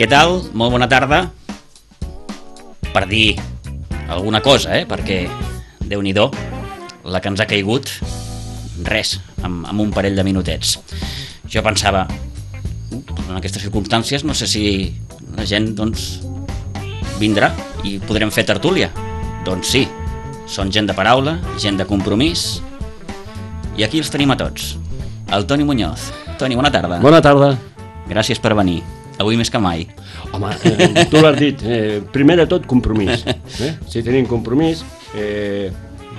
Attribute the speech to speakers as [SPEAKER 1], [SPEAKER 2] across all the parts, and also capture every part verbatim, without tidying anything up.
[SPEAKER 1] Què tal? Molt bona tarda. Per dir alguna cosa, eh? Perquè, Déu-n'hi-do, la que ens ha caigut, res, amb, amb un parell de minutets. Jo pensava, en aquestes circumstàncies, no sé si la gent, doncs, vindrà i podrem fer tertúlia. Doncs sí, són gent de paraula, gent de compromís, i aquí els tenim a tots. El Toni Muñoz. Toni, bona tarda.
[SPEAKER 2] Bona tarda.
[SPEAKER 1] Gràcies per venir, avui més que mai.
[SPEAKER 2] Home, eh, tu l'has dit, eh, primer de tot compromís. Eh? Si tenim compromís, eh,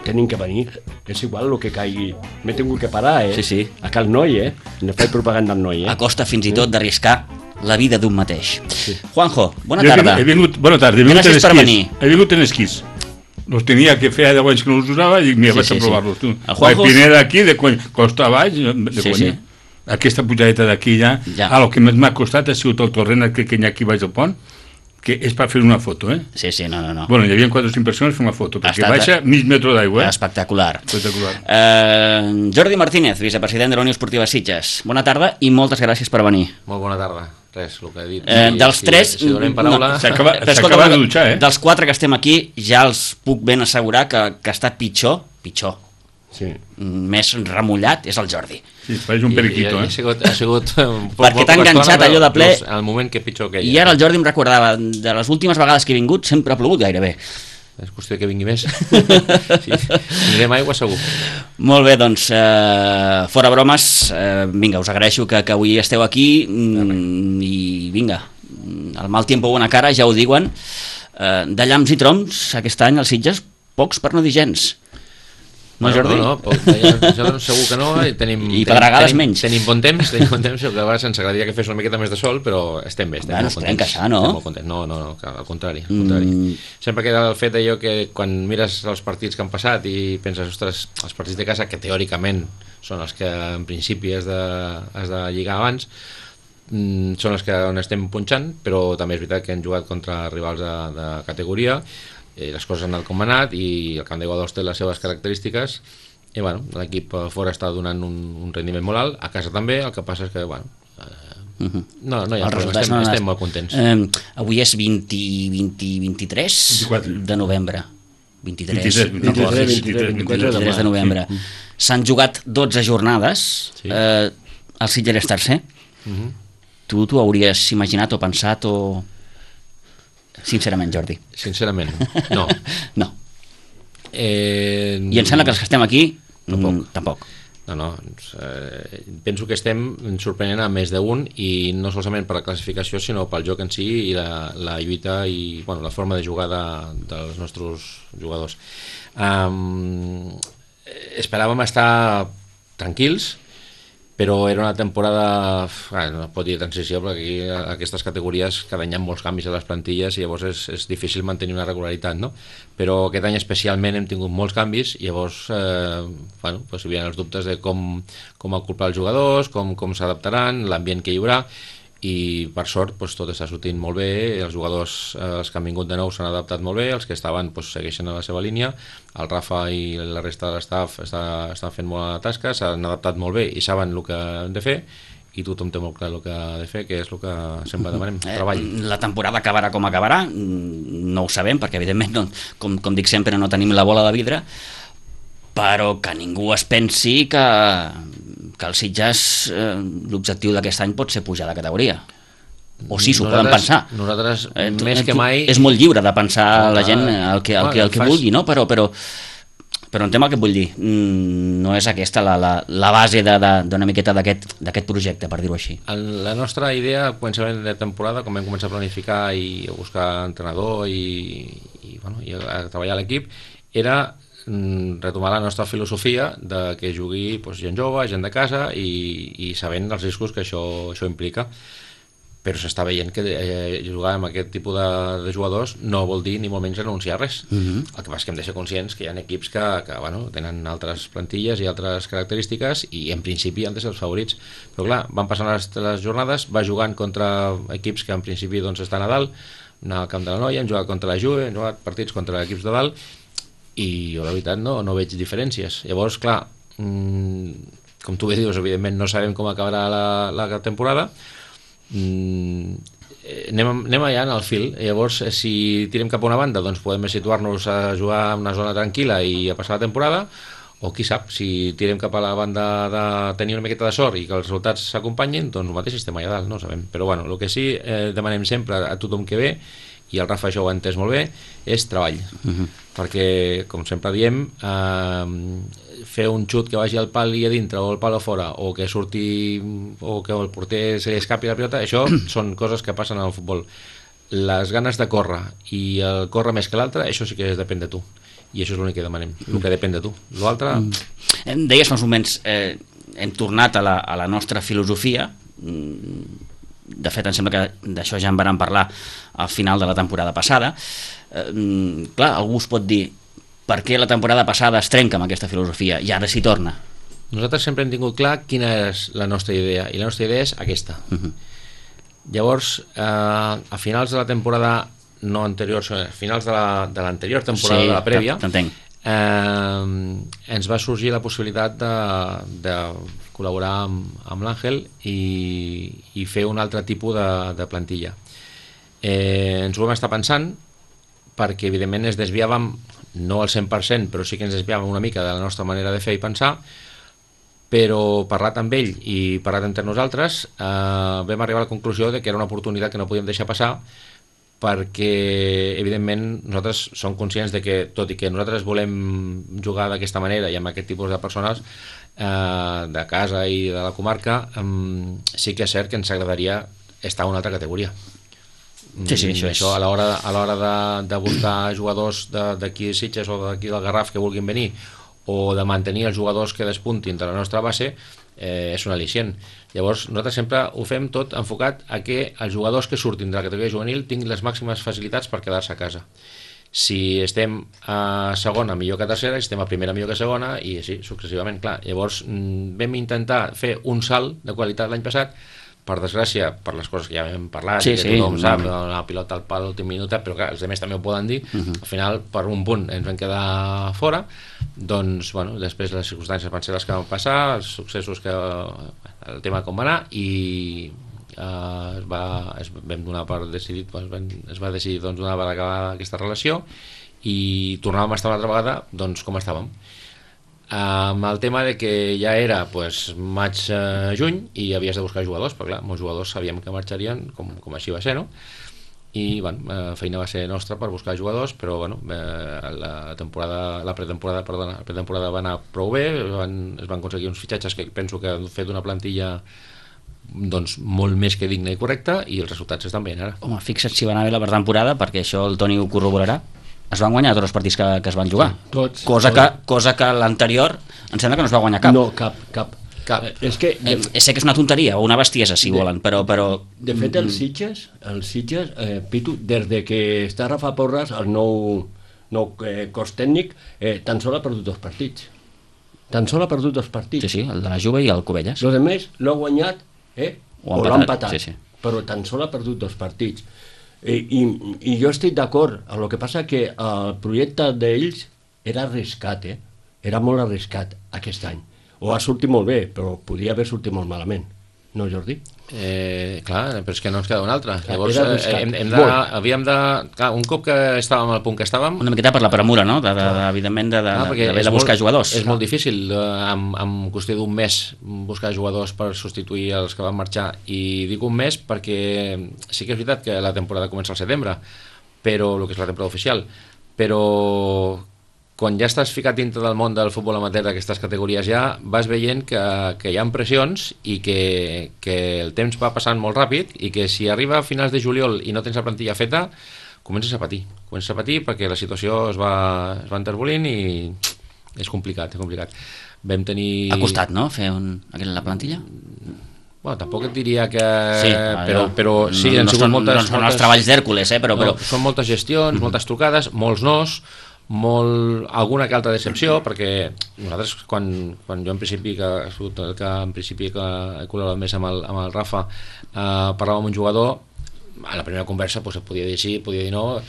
[SPEAKER 2] tenim que venir. És igual el que caigui. M'he tingut que parar, eh?
[SPEAKER 1] Sí, sí.
[SPEAKER 2] A cal noi, eh? No faig propaganda al noi, eh?
[SPEAKER 1] A costa fins i tot d'arriscar la vida d'un mateix. Sí. Juanjo, bona
[SPEAKER 3] Jo
[SPEAKER 1] tarda.
[SPEAKER 3] He vingut, bona tarda, he vingut
[SPEAKER 1] Gràcies
[SPEAKER 3] en
[SPEAKER 1] per
[SPEAKER 3] esquís.
[SPEAKER 1] venir.
[SPEAKER 3] He vingut en esquís. Los tenia que feia deu anys que no els usava i mira,
[SPEAKER 1] Sí,
[SPEAKER 3] vaig
[SPEAKER 1] sí,
[SPEAKER 3] a provar-los.
[SPEAKER 1] sí.
[SPEAKER 3] Tu.
[SPEAKER 1] El Juanjo-
[SPEAKER 3] La Pineda aquí, de conya, costa baix, de
[SPEAKER 1] Sí,
[SPEAKER 3] conya.
[SPEAKER 1] sí.
[SPEAKER 3] Aquesta pujadeta d'aquí ja.
[SPEAKER 1] Ja.
[SPEAKER 3] Ah, el que més m'ha costat ha sigut el torrent que, que hi ha aquí baix del pont, que és per fer una foto, eh?
[SPEAKER 1] Sí, sí, no, no, no.
[SPEAKER 3] Bueno, hi havia quatre o cinc persones fent una foto,
[SPEAKER 1] Ha
[SPEAKER 3] perquè
[SPEAKER 1] estat-
[SPEAKER 3] baixa mig metre d'aigua, eh?
[SPEAKER 1] Espectacular.
[SPEAKER 3] Espectacular.
[SPEAKER 1] Eh, Jordi Martínez, vicepresident de la Unió Esportiva Sitges. Bona tarda i moltes gràcies per venir.
[SPEAKER 4] Molt bona tarda. Res, el que he dit.
[SPEAKER 1] Eh,
[SPEAKER 4] I
[SPEAKER 1] dels
[SPEAKER 4] si,
[SPEAKER 1] tres...
[SPEAKER 4] Si donem paraula...
[SPEAKER 1] no,
[SPEAKER 3] S'acaba
[SPEAKER 1] però
[SPEAKER 3] s'acaba
[SPEAKER 1] escolta,
[SPEAKER 3] de dutxar, eh?
[SPEAKER 1] Dels quatre que estem aquí, ja els puc ben assegurar que, que està pitjor, pitjor,
[SPEAKER 2] Sí.
[SPEAKER 1] més remullat, és el Jordi.
[SPEAKER 3] Sí, pareix un periquito,
[SPEAKER 4] I, i,
[SPEAKER 3] eh?
[SPEAKER 4] ha sigut, ha sigut un poc,
[SPEAKER 1] Perquè
[SPEAKER 4] molt
[SPEAKER 1] t'ha
[SPEAKER 4] poca
[SPEAKER 1] enganxat
[SPEAKER 4] estona,
[SPEAKER 1] allò de ple.
[SPEAKER 4] però al moment que pitjor que
[SPEAKER 1] I ara el Jordi em recordava, de les últimes vegades que he vingut, sempre ha plogut gairebé.
[SPEAKER 4] És qüestió que vingui més. Sí, tindrem aigua segur.
[SPEAKER 1] Molt bé, doncs, eh, fora bromes, eh, vinga, us agraeixo que, que avui esteu aquí mm, i vinga, el mal tiempo bona cara, ja ho diuen, eh, de llamps i troms aquest any als Sitges, pocs per no dir gens. No,
[SPEAKER 4] Bueno,
[SPEAKER 1] Jordi?
[SPEAKER 4] No, no, poc, ja, ja doncs segur que no. I, tenim,
[SPEAKER 1] I pedregades
[SPEAKER 4] tenim,
[SPEAKER 1] menys.
[SPEAKER 4] Tenim bon temps, tenim bon temps, el que a vegades ens agradaria que fes una miqueta més de sol, però estem bé, estem
[SPEAKER 1] Bueno,
[SPEAKER 4] molt
[SPEAKER 1] esperem
[SPEAKER 4] contents.
[SPEAKER 1] que això, no?
[SPEAKER 4] Estem molt contents. No, no, no, que al contrari. Al contrari.
[SPEAKER 1] Mm.
[SPEAKER 4] Sempre queda el fet d'allò que quan mires els partits que han passat i penses, ostres, els partits de casa, que teòricament són els que en principi has de, has de lligar abans, mm, són els que on estem punxant, però també és veritat que hem jugat contra rivals de, de categoria, i les coses han anat com han anat, i el camp de Guadalest té les seves característiques, i bueno, l'equip fora està donant un, un rendiment molt alt, a casa també, el que passa és que, bueno, eh,
[SPEAKER 1] Uh-huh.
[SPEAKER 4] no, no hi ha
[SPEAKER 1] Els
[SPEAKER 4] problema,
[SPEAKER 1] resultats
[SPEAKER 4] estem,
[SPEAKER 1] no han
[SPEAKER 4] estem
[SPEAKER 1] anat.
[SPEAKER 4] molt contents.
[SPEAKER 1] Eh, avui és vint, vint, vint-i-tres
[SPEAKER 3] vint-i-quatre.
[SPEAKER 1] de novembre. vint-i-tres,
[SPEAKER 3] vint-i-tres,
[SPEAKER 1] no
[SPEAKER 2] vint-i-tres,
[SPEAKER 1] colis.
[SPEAKER 2] vint-i-tres, vint-i-quatre
[SPEAKER 1] vint-i-tres de novembre.
[SPEAKER 3] Sí.
[SPEAKER 1] S'han jugat dotze jornades,
[SPEAKER 4] Sí.
[SPEAKER 1] eh, el Sitges és tercer.
[SPEAKER 4] Uh-huh.
[SPEAKER 1] Tu t'ho hauries imaginat o pensat o... Sincerament, Jordi.
[SPEAKER 4] Sincerament, no.
[SPEAKER 1] No.
[SPEAKER 4] Eh,
[SPEAKER 1] I em sembla que els que estem aquí
[SPEAKER 4] Tampoc.
[SPEAKER 1] mm, tampoc.
[SPEAKER 4] No, no, eh, penso que estem sorprenent a més d'un, i no solament per la classificació, sinó pel joc en si i la, la lluita i bueno, la forma de jugar de, dels nostres jugadors. Um, esperàvem estar tranquils, però era una temporada, ah, no pot dir transició, perquè aquí a aquestes categories cada any hi ha molts canvis a les plantilles i llavors és, és difícil mantenir una regularitat, no? Però aquest any especialment hem tingut molts canvis i llavors eh, bueno, pues hi havia els dubtes de com, com acoplar els jugadors, com, com s'adaptaran, l'ambient que hi haurà, i per sort pues, tot està sortint molt bé, els jugadors eh, els que han vingut de nou s'han adaptat molt bé, els que estaven pues, segueixen a la seva línia, el Rafa i la resta de l'estaf està, estan fent molt bona tasca, s'han adaptat molt bé i saben el que han de fer, i tothom té molt clar el que ha de fer, que és el que sempre demanem, treball.
[SPEAKER 1] Eh, la temporada acabarà com acabarà, mm, no ho sabem, perquè evidentment, no, com, com dic sempre, no tenim la bola de vidre, però que ningú es pensi que, que el Sitges, eh, l'objectiu d'aquest any pot ser pujar de categoria. O sí, s'ho poden pensar.
[SPEAKER 4] Nosaltres,
[SPEAKER 1] Eh, tu-
[SPEAKER 4] més
[SPEAKER 1] eh,
[SPEAKER 4] que
[SPEAKER 1] tu-
[SPEAKER 4] mai...
[SPEAKER 1] És molt lliure de pensar
[SPEAKER 4] No,
[SPEAKER 1] la gent
[SPEAKER 4] clar.
[SPEAKER 1] el que, el que, el que
[SPEAKER 4] Fas-
[SPEAKER 1] vulgui, no? Però, però, però entenc el que vull dir. Mm, no és aquesta la, la, la base de- de- d'una miqueta d'aquest d'aquest projecte, per dir-ho així.
[SPEAKER 4] En la nostra idea, al començament de temporada, quan vam començar a planificar i a buscar entrenador i, i, bueno, i a treballar a l'equip, era mm, retomar la nostra filosofia de que jugui pues, gent jove, gent de casa i, i sabent els riscos que això, això implica. Però s'està veient que eh, jugar amb aquest tipus de, de jugadors no vol dir ni molt menys renunciar a res.
[SPEAKER 1] Mhm.
[SPEAKER 4] El que passa és que hem de ser conscients que hi ha equips que, que bueno, tenen altres plantilles i altres característiques i en principi han de ser els favorits. Però clar, van passant les, les jornades, va jugant contra equips que en principi doncs, estan a dalt, anar al camp de la Noia, hem jugat contra la Juve, hem jugat partits contra equips de dalt i jo la veritat no, no veig diferències. Llavors, clar, mmm, com tu bé dius, evidentment no sabem com acabarà la, la temporada. Mm, anem, anem allà en el fil. Llavors, si tirem cap a una banda, doncs podem situar-nos a jugar en una zona tranquil·la i a passar la temporada, o qui sap, si tirem cap a la banda de tenir una miqueta de sort i que els resultats s'acompanyin, doncs el mateix estem allà dalt, no ho sabem. Però bueno, el que sí eh, demanem sempre a tothom que ve, i el Rafa això ho ha entès molt bé, és treball. Uh-huh. Perquè, com sempre diem, eh, fer un xut que vagi al pal i a dintre o al pal a fora, o que surti o que el porter se li escapi la pilota, això són coses que passen al futbol. Les ganes de córrer i el córrer més que l'altre, això sí que depèn de tu, i això és l'únic que demanem, el que depèn de tu. L'altre...
[SPEAKER 1] Mm. Deies fa uns moments, eh, hem tornat a la, a la nostra filosofia. De fet, em sembla que d'això ja en vam parlar al final de la temporada passada. Eh, clar, algú us pot dir per què la temporada passada es trenca amb aquesta filosofia i ara s'hi torna.
[SPEAKER 4] Nosaltres sempre hem tingut clar quina és la nostra idea, i la nostra idea és aquesta. Uh-huh. Llavors, eh, a finals de la temporada no anterior, a finals de l'anterior la, temporada, sí, de la prèvia, eh, ens va sorgir la possibilitat de, de col·laborar amb, amb l'Àngel i, i fer un altre tipus de, de plantilla. Eh, ens ho vam estar pensant perquè evidentment es desviàvem, no al cent per cent, però sí que ens desviàvem una mica de la nostra manera de fer i pensar, però parlat amb ell i parlat entre nosaltres, eh, vam arribar a la conclusió de que era una oportunitat que no podíem deixar passar, perquè evidentment nosaltres som conscients de que, tot i que nosaltres volem jugar d'aquesta manera i amb aquest tipus de persones eh, de casa i de la comarca, eh, sí que és cert que ens agradaria estar a una altra categoria.
[SPEAKER 1] Sí, sí, això,
[SPEAKER 4] això
[SPEAKER 1] és...
[SPEAKER 4] a l'hora a l'hora de, de buscar jugadors d'aquí de Sitges o d'aquí del Garraf que vulguin venir, o de mantenir els jugadors que despuntin de la nostra base, eh, és un al·licient. Llavors nosaltres sempre ho fem tot enfocat a que els jugadors que surtin de la categoria juvenil tinguin les màximes facilitats per quedar-se a casa. Si estem a segona millor que a tercera, si estem a primera millor que a segona, i així successivament. Clar, llavors vam intentar fer un salt de qualitat l'any passat. Per desgràcia, per les coses que ja hem parlat,
[SPEAKER 1] sí,
[SPEAKER 4] que
[SPEAKER 1] sí,
[SPEAKER 4] tothom sap,
[SPEAKER 1] no.
[SPEAKER 4] la pilota al pal a l'últim minut, però clar, els altres també ho poden dir, uh-huh. Al final, per un punt, ens vam quedar fora, doncs, bueno, després les circumstàncies van ser les que van passar, els successos que... el tema com va anar, i eh, es va, es vam donar per decidit, doncs, es va decidir doncs, donar per acabar aquesta relació, i tornàvem a estar una altra vegada, doncs, com estàvem. Amb el tema de que ja era pues, maig-juny i havies de buscar jugadors, perquè clar, molts jugadors sabíem que marxarien, com, com així va ser, no? I bueno, la feina va ser nostra per buscar jugadors, però bueno, la temporada, la pretemporada, perdona, la pretemporada va anar prou bé, van, es van aconseguir uns fitxatges que penso que han fet una plantilla doncs, molt més que digna i correcta, i els resultats estan bé ara.
[SPEAKER 1] Home, fixa't si va anar bé la pretemporada, perquè això el Toni ho corroborarà. Es van guanyar tots els partits que, que es van jugar,
[SPEAKER 2] sí, tots,
[SPEAKER 1] cosa,
[SPEAKER 2] tots.
[SPEAKER 1] Que, cosa que l'anterior em sembla que no es va guanyar cap.
[SPEAKER 2] No, cap, cap.
[SPEAKER 1] cap.
[SPEAKER 2] Eh, és que...
[SPEAKER 1] Eh, sé que és una tonteria o una bestiesa, si
[SPEAKER 2] de,
[SPEAKER 1] volen, però... però...
[SPEAKER 2] De fet, els Sitges, els Sitges eh, Pitu, des de que està Rafa Porras, el nou, nou eh, cos tècnic, eh, tan sol ha perdut dos partits. Tan sol ha perdut dos partits.
[SPEAKER 1] Sí, sí, el de la Juve i el Covelles.
[SPEAKER 2] Los demés l'ha guanyat, eh, o, o l'ha empatat,
[SPEAKER 1] sí, sí.
[SPEAKER 2] Però tan sol ha perdut dos partits. I, i, i jo estic d'acord, el que passa que el projecte d'ells era arriscat, eh? Era molt arriscat aquest any. O ha sortit molt bé, però podia haver sortit molt malament. No, Jordi?
[SPEAKER 4] Eh, clar, però és que no ens queda una altra.
[SPEAKER 2] Clar,
[SPEAKER 4] llavors eh, hem, hem de, havíem de... Clar, un cop que estàvem al punt que estàvem...
[SPEAKER 1] Una miqueta per la premura, no? De, de, de, evidentment, de, de,
[SPEAKER 4] clar,
[SPEAKER 1] de, de, de buscar
[SPEAKER 4] molt,
[SPEAKER 1] jugadors.
[SPEAKER 4] És molt difícil, eh, en, en qüestió d'un mes, buscar jugadors per substituir els que van marxar. I dic un mes perquè sí que és veritat que la temporada comença al setembre, però el que és la temporada oficial, però... quan ja estàs ficat dintre del món del futbol amateur d'aquestes categories ja vas veient que, que hi ha pressions i que, que el temps va passant molt ràpid i que si arriba a finals de juliol i no tens la plantilla feta, comences a patir. Comences a patir perquè la situació es va, es va enterbolint i és complicat, és complicat. Vam tenir...
[SPEAKER 1] Ha costat, no?, fer un, la plantilla?
[SPEAKER 4] Bueno, tampoc et diria que...
[SPEAKER 1] Sí,
[SPEAKER 4] però, però sí,
[SPEAKER 1] no,
[SPEAKER 4] han
[SPEAKER 1] no
[SPEAKER 4] sigut
[SPEAKER 1] són,
[SPEAKER 4] moltes...
[SPEAKER 1] no són
[SPEAKER 4] moltes...
[SPEAKER 1] els treballs d'Hèrcules, eh, però... però...
[SPEAKER 4] No, són moltes gestions, mm-hmm. moltes trucades, molts nos, molt, alguna que altra decepció, perquè nosaltres, quan, quan jo en principi, que ha sigut el que en principi que he col·laborat més amb el, amb el Rafa, eh, parlàvem amb un jugador, a la primera conversa pues, es podia dir sí, podia dir no.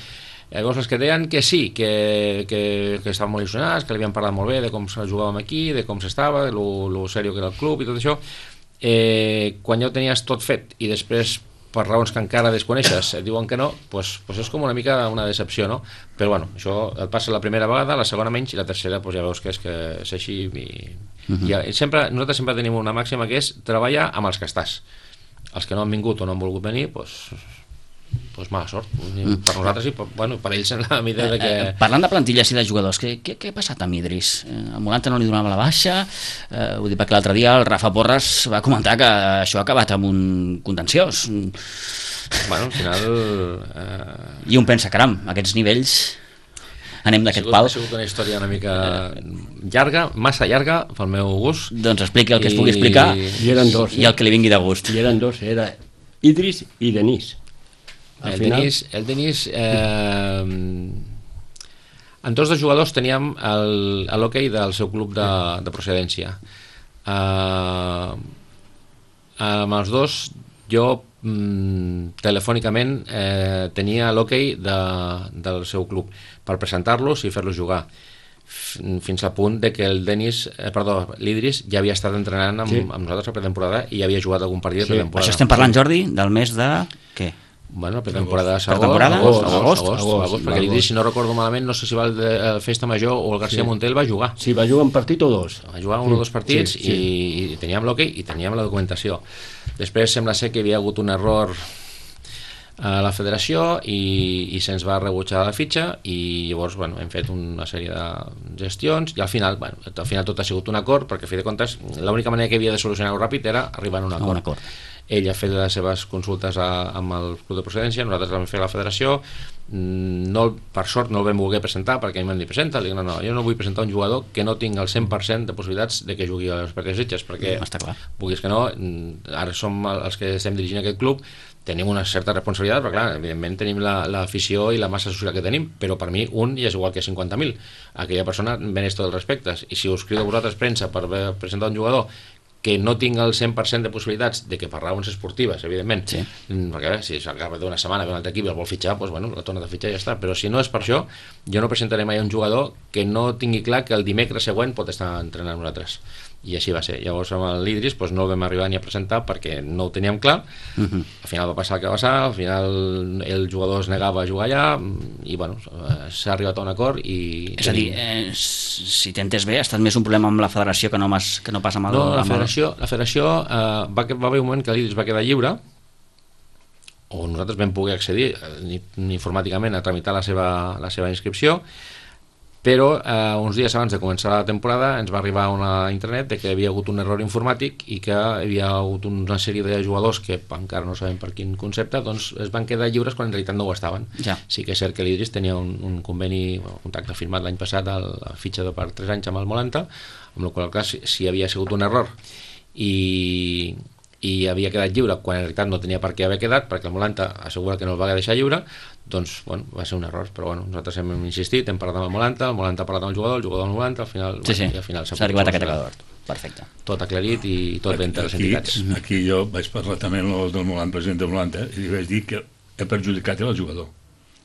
[SPEAKER 4] Llavors els que deien que sí, que, que, que estaven molt il·lusionats, que li havien parlat molt bé de com jugàvem aquí, de com s'estava, de lo, lo serio que era el club i tot això, eh, quan ja ho tenies tot fet i després per raons que encara desconeixes et diuen que no, doncs, doncs és com una mica una decepció, no? Però bueno, això et passa la primera vegada, la segona menys i la tercera doncs ja veus que és, que és així i, uh-huh. i sempre, nosaltres sempre tenim una màxima que és treballar amb els que estàs. Els que no han vingut o no han volgut venir, doncs, doncs mala sort mm. per nosaltres i per, bueno, per ells en la mida de que...
[SPEAKER 1] Eh, eh, parlant de plantilles i de jugadors, què, què, què ha passat amb Idris? Eh, el Molanta no li donava la baixa, eh, ho dic perquè l'altre dia el Rafa Porres va comentar que això ha acabat amb un contenciós.
[SPEAKER 4] Bueno, al final... Eh...
[SPEAKER 1] I un pensa, caram, aquests nivells anem d'aquest pal.
[SPEAKER 4] Ha sigut una història una mica llarga, massa llarga pel meu gust.
[SPEAKER 1] Doncs expliqui el que I... es pugui explicar
[SPEAKER 2] I, eren dos,
[SPEAKER 1] i el que li vingui de gust.
[SPEAKER 2] I eren dos, era Idris i Denis.
[SPEAKER 4] El final... Denis, el Denis eh, en tots dos jugadors teníem l'hoquei del seu club de, de procedència. Eh, amb els dos jo mm, telefònicament eh, tenia l'hoquei de, del seu club per presentar-los i fer-los jugar fins al punt de que el Denis, eh, perdó, l'Idris ja havia estat entrenant amb, sí. amb nosaltres a pretemporada i havia jugat algun partit de pretemporada.
[SPEAKER 1] Això estem parlant, Jordi, del mes de... què?
[SPEAKER 4] Bueno, pretemporada
[SPEAKER 1] per temporada?
[SPEAKER 4] Agost, agost, agost, agost, agost, agost perquè l'Idris, si no recordo malament, no sé si va el de el Festa Major o el García sí. Montel va jugar.
[SPEAKER 2] Sí, va jugar un partit o dos.
[SPEAKER 4] Va jugar un sí, o dos partits sí, sí. I, i teníem l'hoquei i teníem la documentació. Després sembla ser que hi havia hagut un error a la federació i, i se'ns va rebutjar la fitxa i llavors bueno, hem fet una sèrie de gestions i al final, bueno, al final tot ha sigut un acord perquè a fi de comptes l'única manera que havia de solucionar-ho ràpid era arribar a un acord.
[SPEAKER 1] Un acord.
[SPEAKER 4] Ell ha fet les seves consultes a, amb el club de procedència, nosaltres vam fer a la federació, no, per sort no el vam voler presentar perquè a mi m'han dit presenta, dic, no, no, jo no vull presentar un jugador que no tingui el cent per cent de possibilitats de que jugui a les partides Sitges, perquè
[SPEAKER 1] no, està clar.
[SPEAKER 4] Vulguis que no, ara som els que estem dirigint aquest club, tenim una certa responsabilitat, però clar, evidentment tenim l'afició la, i la massa social que tenim, però per mi un ja és igual que cinquanta mil, aquella persona mereix tots els respectes, i si us crido a vosaltres premsa per presentar un jugador que no tinc el cent per cent de possibilitats de que per raons esportives, evidentment, sí. perquè si s'acaba d'una setmana ve un altre equip i el vol fitxar, doncs bueno, la torna de fitxar i ja està, però si no és per això, jo no presentaré mai un jugador que no tingui clar que el dimecres següent pot estar entrenant amb nosaltres. I així va ser. Llavors amb l'Idris doncs, no el vam arribar ni a presentar perquè no ho teníem clar. Uh-huh. Al final va passar el que va passar, al final el jugador es negava a jugar allà i bueno, s'ha arribat a un acord i...
[SPEAKER 1] És a dir, eh, si t'entens bé, ha estat més un problema amb la federació que no, mas, que no passa amb el...
[SPEAKER 4] No, la federació, la federació eh, va, va haver un moment que l'Idris va quedar lliure o nosaltres vam poder accedir eh, informàticament a tramitar la seva, la seva inscripció, però eh, uns dies abans de començar la temporada ens va arribar una internet de que hi havia hagut un error informàtic i que hi havia hagut una sèrie de jugadors que encara no sabem per quin concepte doncs es van quedar lliures quan en realitat no ho estaven. Ja. Sí que és cert que l'Idris tenia un, un conveni, un contracte firmat l'any passat a la fitxa de per tres anys amb el Molanta, amb la qual cosa si, si havia sigut un error i, i havia quedat lliure quan en realitat no tenia per què haver quedat perquè el Molanta assegura que no el va deixar lliure, doncs bueno, va ser un error, però bueno, nosaltres hem insistit, hem parlat amb el Molanta, el Molanta ha parlat amb el jugador, el jugador amb el Molanta, al final,
[SPEAKER 1] sí, sí.
[SPEAKER 4] Bueno, al final
[SPEAKER 1] s'ha arribat a aquest acord. Perfecte.
[SPEAKER 4] Tot aclarit i tot ben entre les entitats.
[SPEAKER 3] Aquí jo vaig parlar també amb el del Molanta, president del Molanta, i li vaig dir que he perjudicat el jugador.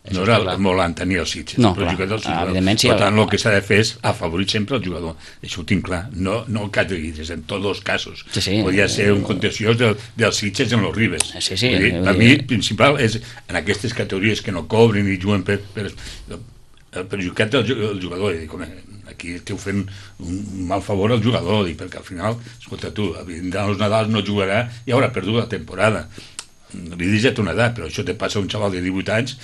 [SPEAKER 3] No era el Molanta ni el Sitges,
[SPEAKER 1] no, clar, evidentment sí.
[SPEAKER 3] Per tant, el que s'ha de fer és afavorir sempre el jugador. Això ho tinc clar. No, no el cas de Guides, en tots els casos.
[SPEAKER 1] Sí, sí.
[SPEAKER 3] Podria ser un contenciós del, del Sitges en los Ribes.
[SPEAKER 1] Sí, sí.
[SPEAKER 3] Dir, per mi, principal, és en aquestes categories que no cobren i juguen per... per el perjudicat del jugador. I dic, home, aquí esteu fent un mal favor al jugador, dic, perquè al final, escolta tu, vindran els Nadals, no jugarà i haurà perdut la temporada. L'Idris ja té una edat, però això te passa a un xaval de divuit anys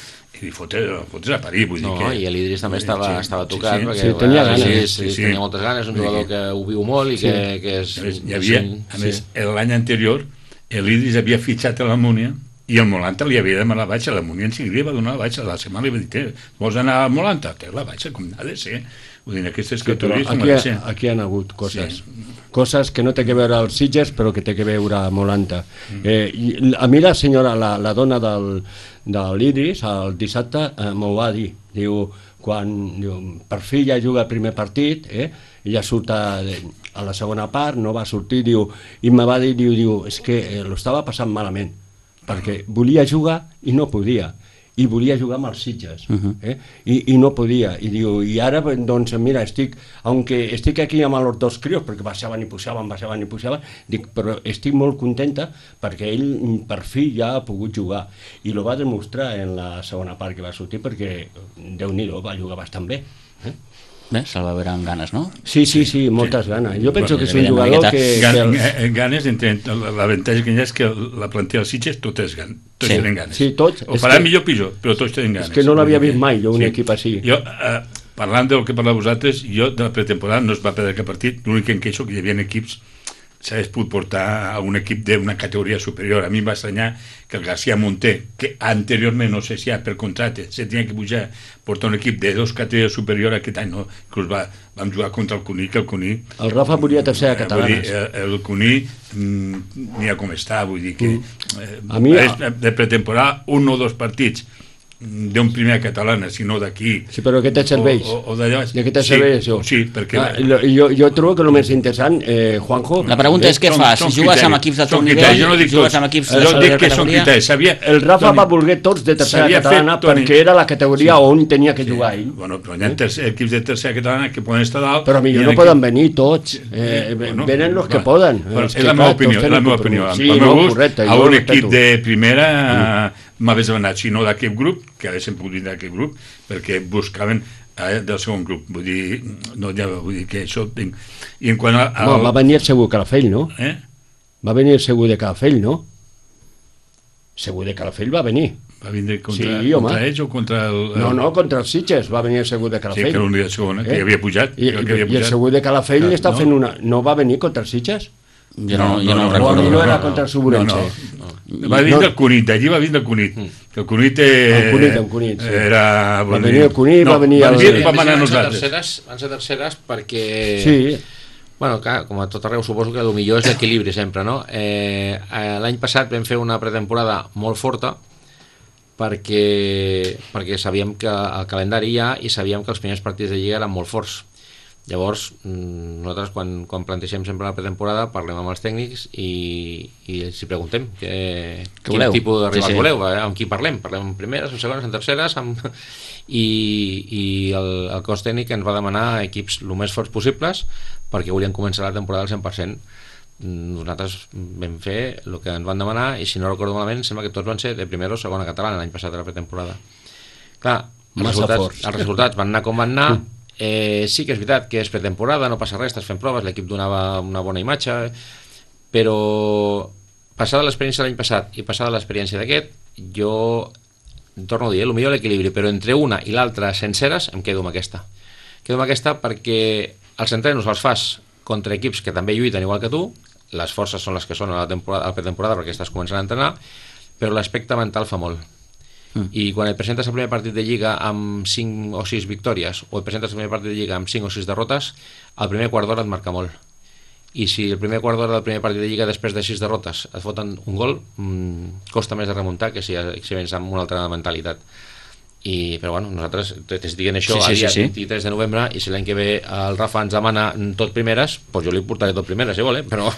[SPEAKER 3] i fotres, fotres a parir, vull
[SPEAKER 4] no,
[SPEAKER 3] dir que...
[SPEAKER 4] i l'Idris també estava,
[SPEAKER 3] sí,
[SPEAKER 4] estava tocat,
[SPEAKER 3] sí, sí,
[SPEAKER 4] perquè
[SPEAKER 2] sí, tenia,
[SPEAKER 4] bueno,
[SPEAKER 2] ganes,
[SPEAKER 4] sí, sí, sí, tenia moltes ganes, un jugador que ho viu molt i
[SPEAKER 3] sí.
[SPEAKER 4] que, que és...
[SPEAKER 3] A més, hi havia, a més sí. l'any anterior l'Idris havia fitxat a la Múnia i el Molanta li havia demanat la baixa, la Múnia en seguida va donar la baixa, la setmana li va dir, vols anar al Molanta? Té la baixa, com ha de ser. Vull dir, aquestes
[SPEAKER 2] sí,
[SPEAKER 3] categories
[SPEAKER 2] aquí, ha, aquí han hagut coses. Sí. Coses que no té que veure als Sitges, però que té que veure a Molanta. Mm. Eh, i a mi la senyora, la, la dona del, de l'Idris, el dissabte, eh, m'ho va dir. Diu, quan diu, per fi ja juga el primer partit, eh, ella surt a, a la segona part, no va sortir, diu, i me va dir, diu, diu és que eh, lo estava passant malament, perquè volia jugar i no podia. i volia jugar amb els Sitges,
[SPEAKER 1] Uh-huh.
[SPEAKER 2] eh? I, i no podia, i diu, i ara doncs mira, estic, aunque estic aquí amb els dos crios, perquè baixaven i pujaven, baixaven i pujaven, dic, però estic molt contenta perquè ell per fi ja ha pogut jugar, i lo va demostrar en la segona part que va sortir, perquè Déu-n'hi-do, va jugar bastant bé, eh?
[SPEAKER 1] Bé, se'l va veure amb ganes, no?
[SPEAKER 2] Sí, sí, sí, moltes ganes. Jo penso que és un
[SPEAKER 1] Evident,
[SPEAKER 2] jugador
[SPEAKER 1] una
[SPEAKER 2] que...
[SPEAKER 3] Gan,
[SPEAKER 2] que
[SPEAKER 3] eh, ganes, entre, l'avantatge que hi ha és que la plantilla dels Sitges totes, gan, tots
[SPEAKER 1] Sí.
[SPEAKER 3] tenen ganes.
[SPEAKER 2] Sí, tots.
[SPEAKER 3] O
[SPEAKER 2] És
[SPEAKER 3] farà
[SPEAKER 2] que-
[SPEAKER 3] millor o pitjor, però tots tenen ganes.
[SPEAKER 2] És que no l'havia
[SPEAKER 3] Vull dir
[SPEAKER 2] vist mai, jo, un
[SPEAKER 3] sí.
[SPEAKER 2] equip així.
[SPEAKER 3] Jo, eh, parlant del que parleu vosaltres, jo de la pretemporada no es va perdre cap partit, l'únic que em queixo que hi havia equips s'hagués pogut portar a un equip d'una categoria superior. A mi em va estranyar que el García Monter, que anteriorment, no sé si ja per contracte, se tenia que pujar, portar un equip de dos categories superior aquest any, no? Inclús va, vam jugar contra el Cuní, que el Cuní...
[SPEAKER 2] El Rafa volia tercera
[SPEAKER 3] eh, vull
[SPEAKER 2] catalana.
[SPEAKER 3] dir, eh, el Cuní, mm, mira com està, vull dir que... Eh,
[SPEAKER 2] A mi-
[SPEAKER 3] és de pretemporada, un o dos partits d'un primer catalana, sinó d'aquí...
[SPEAKER 2] Sí, però què te serveix?
[SPEAKER 3] O, o d'allò...
[SPEAKER 2] De què te
[SPEAKER 3] sí,
[SPEAKER 2] serveix això?
[SPEAKER 3] Sí, perquè...
[SPEAKER 2] Ah, lo- jo, jo trobo que el més interessant, eh, Juanjo...
[SPEAKER 1] La pregunta és què
[SPEAKER 3] Són-
[SPEAKER 1] fas?
[SPEAKER 3] són
[SPEAKER 1] Jugues amb
[SPEAKER 3] criteris,
[SPEAKER 1] equips de
[SPEAKER 3] són
[SPEAKER 1] tot
[SPEAKER 3] criteris,
[SPEAKER 1] nivell?
[SPEAKER 3] jo no dic
[SPEAKER 1] Jugues
[SPEAKER 3] tots.
[SPEAKER 1] amb equips de
[SPEAKER 3] Jo dic
[SPEAKER 1] primera
[SPEAKER 3] que són
[SPEAKER 1] categoria?
[SPEAKER 3] criteris. Sabia,
[SPEAKER 2] El Rafa
[SPEAKER 3] Toni,
[SPEAKER 2] va voler tots de tercera
[SPEAKER 3] s'havia
[SPEAKER 2] catalana
[SPEAKER 3] fet, Toni.
[SPEAKER 2] perquè era la categoria on tenia que jugar ell.
[SPEAKER 3] Bueno, però hi ha tercer, equips de tercera catalana que poden estar dalt...
[SPEAKER 2] Però
[SPEAKER 3] i
[SPEAKER 2] millor
[SPEAKER 3] hi ha
[SPEAKER 2] no
[SPEAKER 3] equips-
[SPEAKER 2] poden venir tots. Eh,
[SPEAKER 3] Bueno,
[SPEAKER 2] venen els que
[SPEAKER 3] va.
[SPEAKER 2] poden.
[SPEAKER 3] Bueno,
[SPEAKER 2] Els
[SPEAKER 3] és
[SPEAKER 2] que,
[SPEAKER 3] la meva
[SPEAKER 2] clar,
[SPEAKER 3] opinió,
[SPEAKER 2] tots
[SPEAKER 3] és la
[SPEAKER 2] tenen
[SPEAKER 3] meva
[SPEAKER 2] que
[SPEAKER 3] opinió.
[SPEAKER 2] Sí,
[SPEAKER 3] Pel
[SPEAKER 2] no,
[SPEAKER 3] meu gust,
[SPEAKER 2] correcte.
[SPEAKER 3] a
[SPEAKER 2] jo
[SPEAKER 3] un
[SPEAKER 2] respeto.
[SPEAKER 3] equip de primera mm. m'hagués demanat, si no d'aquest grup, que haguessin pogut vindre d'aquest grup, perquè buscaven eh, del segon grup. Vull dir, no, ja, vull dir que això... Tinc... I en quant a...
[SPEAKER 2] No, va venir segur Calafell, no?
[SPEAKER 3] Eh?
[SPEAKER 2] Va venir segur de Calafell, no? Segur de Calafell va venir.
[SPEAKER 3] Va vindre contra,
[SPEAKER 2] Sí, home.
[SPEAKER 3] contra ells o contra el... el...
[SPEAKER 2] No, no, contra els Sitges va venir el segur de
[SPEAKER 3] Sí,
[SPEAKER 2] Calafell.
[SPEAKER 3] que era l'únic de segona, que
[SPEAKER 2] Eh?
[SPEAKER 3] havia pujat.
[SPEAKER 2] I,
[SPEAKER 3] crec
[SPEAKER 2] i,
[SPEAKER 3] que havia
[SPEAKER 2] i el
[SPEAKER 3] pujat.
[SPEAKER 2] segur de Calafell
[SPEAKER 3] Ah,
[SPEAKER 2] està
[SPEAKER 3] no?
[SPEAKER 2] fent una... No va venir contra els Sitges?
[SPEAKER 1] Jo no,
[SPEAKER 3] No,
[SPEAKER 1] jo no,
[SPEAKER 3] no,
[SPEAKER 1] ho
[SPEAKER 3] no,
[SPEAKER 2] O a
[SPEAKER 1] recordo.
[SPEAKER 2] mi no era
[SPEAKER 3] no,
[SPEAKER 2] contra el
[SPEAKER 3] no,
[SPEAKER 2] Suburense.
[SPEAKER 3] no. Va vindre el Cunit, d'allí va vindre el Cunit. Que el Cunit... Eh,
[SPEAKER 2] El Cunit, el Cunit, sí.
[SPEAKER 3] Era...
[SPEAKER 2] Va venir el Cunit, va venir el-
[SPEAKER 3] el... Va
[SPEAKER 4] Van
[SPEAKER 3] manar
[SPEAKER 4] ser
[SPEAKER 3] nosaltres.
[SPEAKER 4] terceres, van ser terceres perquè...
[SPEAKER 2] Sí,
[SPEAKER 4] Bueno, clar, com a tot arreu, suposo que el millor és l'equilibri sempre, no? Eh, eh, L'any passat vam fer una pretemporada molt forta perquè, perquè sabíem que el calendari hi ha i sabíem que els primers partits de Lliga eren molt forts. Llavors, mm, nosaltres quan, quan plantegem sempre la pretemporada parlem amb els tècnics i, i els hi preguntem que,
[SPEAKER 1] Què
[SPEAKER 4] quin
[SPEAKER 1] voleu?
[SPEAKER 4] tipus de rivals
[SPEAKER 1] Sí, sí.
[SPEAKER 4] voleu, eh? Amb qui parlem. Parlem en primeres, en segones, en terceres, amb... i, i el, el cos tècnic ens va demanar equips el més forts possibles perquè volien començar la temporada al cent per cent. Nosaltres vam fer el que ens van demanar i si no recordo malament sembla que tots van ser de primera o segona catalana l'any passat de la pretemporada. Clar, els
[SPEAKER 2] Massa
[SPEAKER 4] resultats,
[SPEAKER 2] forts.
[SPEAKER 4] els resultats van anar com van anar. Eh, sí que és veritat que és pretemporada, no passa res, estàs fent proves, l'equip donava una bona imatge, però passada l'experiència de l'any passat i passada l'experiència d'aquest, jo torno a dir, eh, el millor l'equilibri, però entre una i l'altra senceres em quedo amb aquesta. Quedo amb aquesta perquè els entrenos els fas contra equips que també lluiten igual que tu, les forces són les que són a la, temporada, a la pretemporada perquè estàs començant a entrenar, però l'aspecte mental fa molt. Mm. I quan et presentes el primer partit de Lliga amb cinc o sis victòries o et presentes el primer partit de Lliga amb cinc o sis derrotes, el primer quart d'hora et marca molt. I si el primer quart d'hora del primer partit de Lliga després de sis derrotes et foten un gol, mmm, costa més de remuntar que si, si vens amb una altra mentalitat. I, però bueno, nosaltres t'estic dient això
[SPEAKER 1] Sí, sí,
[SPEAKER 4] a dia
[SPEAKER 1] sí, sí.
[SPEAKER 4] vint-i-tres de novembre i si l'any que ve el Rafa ens demana tot primeres, doncs jo li portaré tot primeres, si vol, eh? però,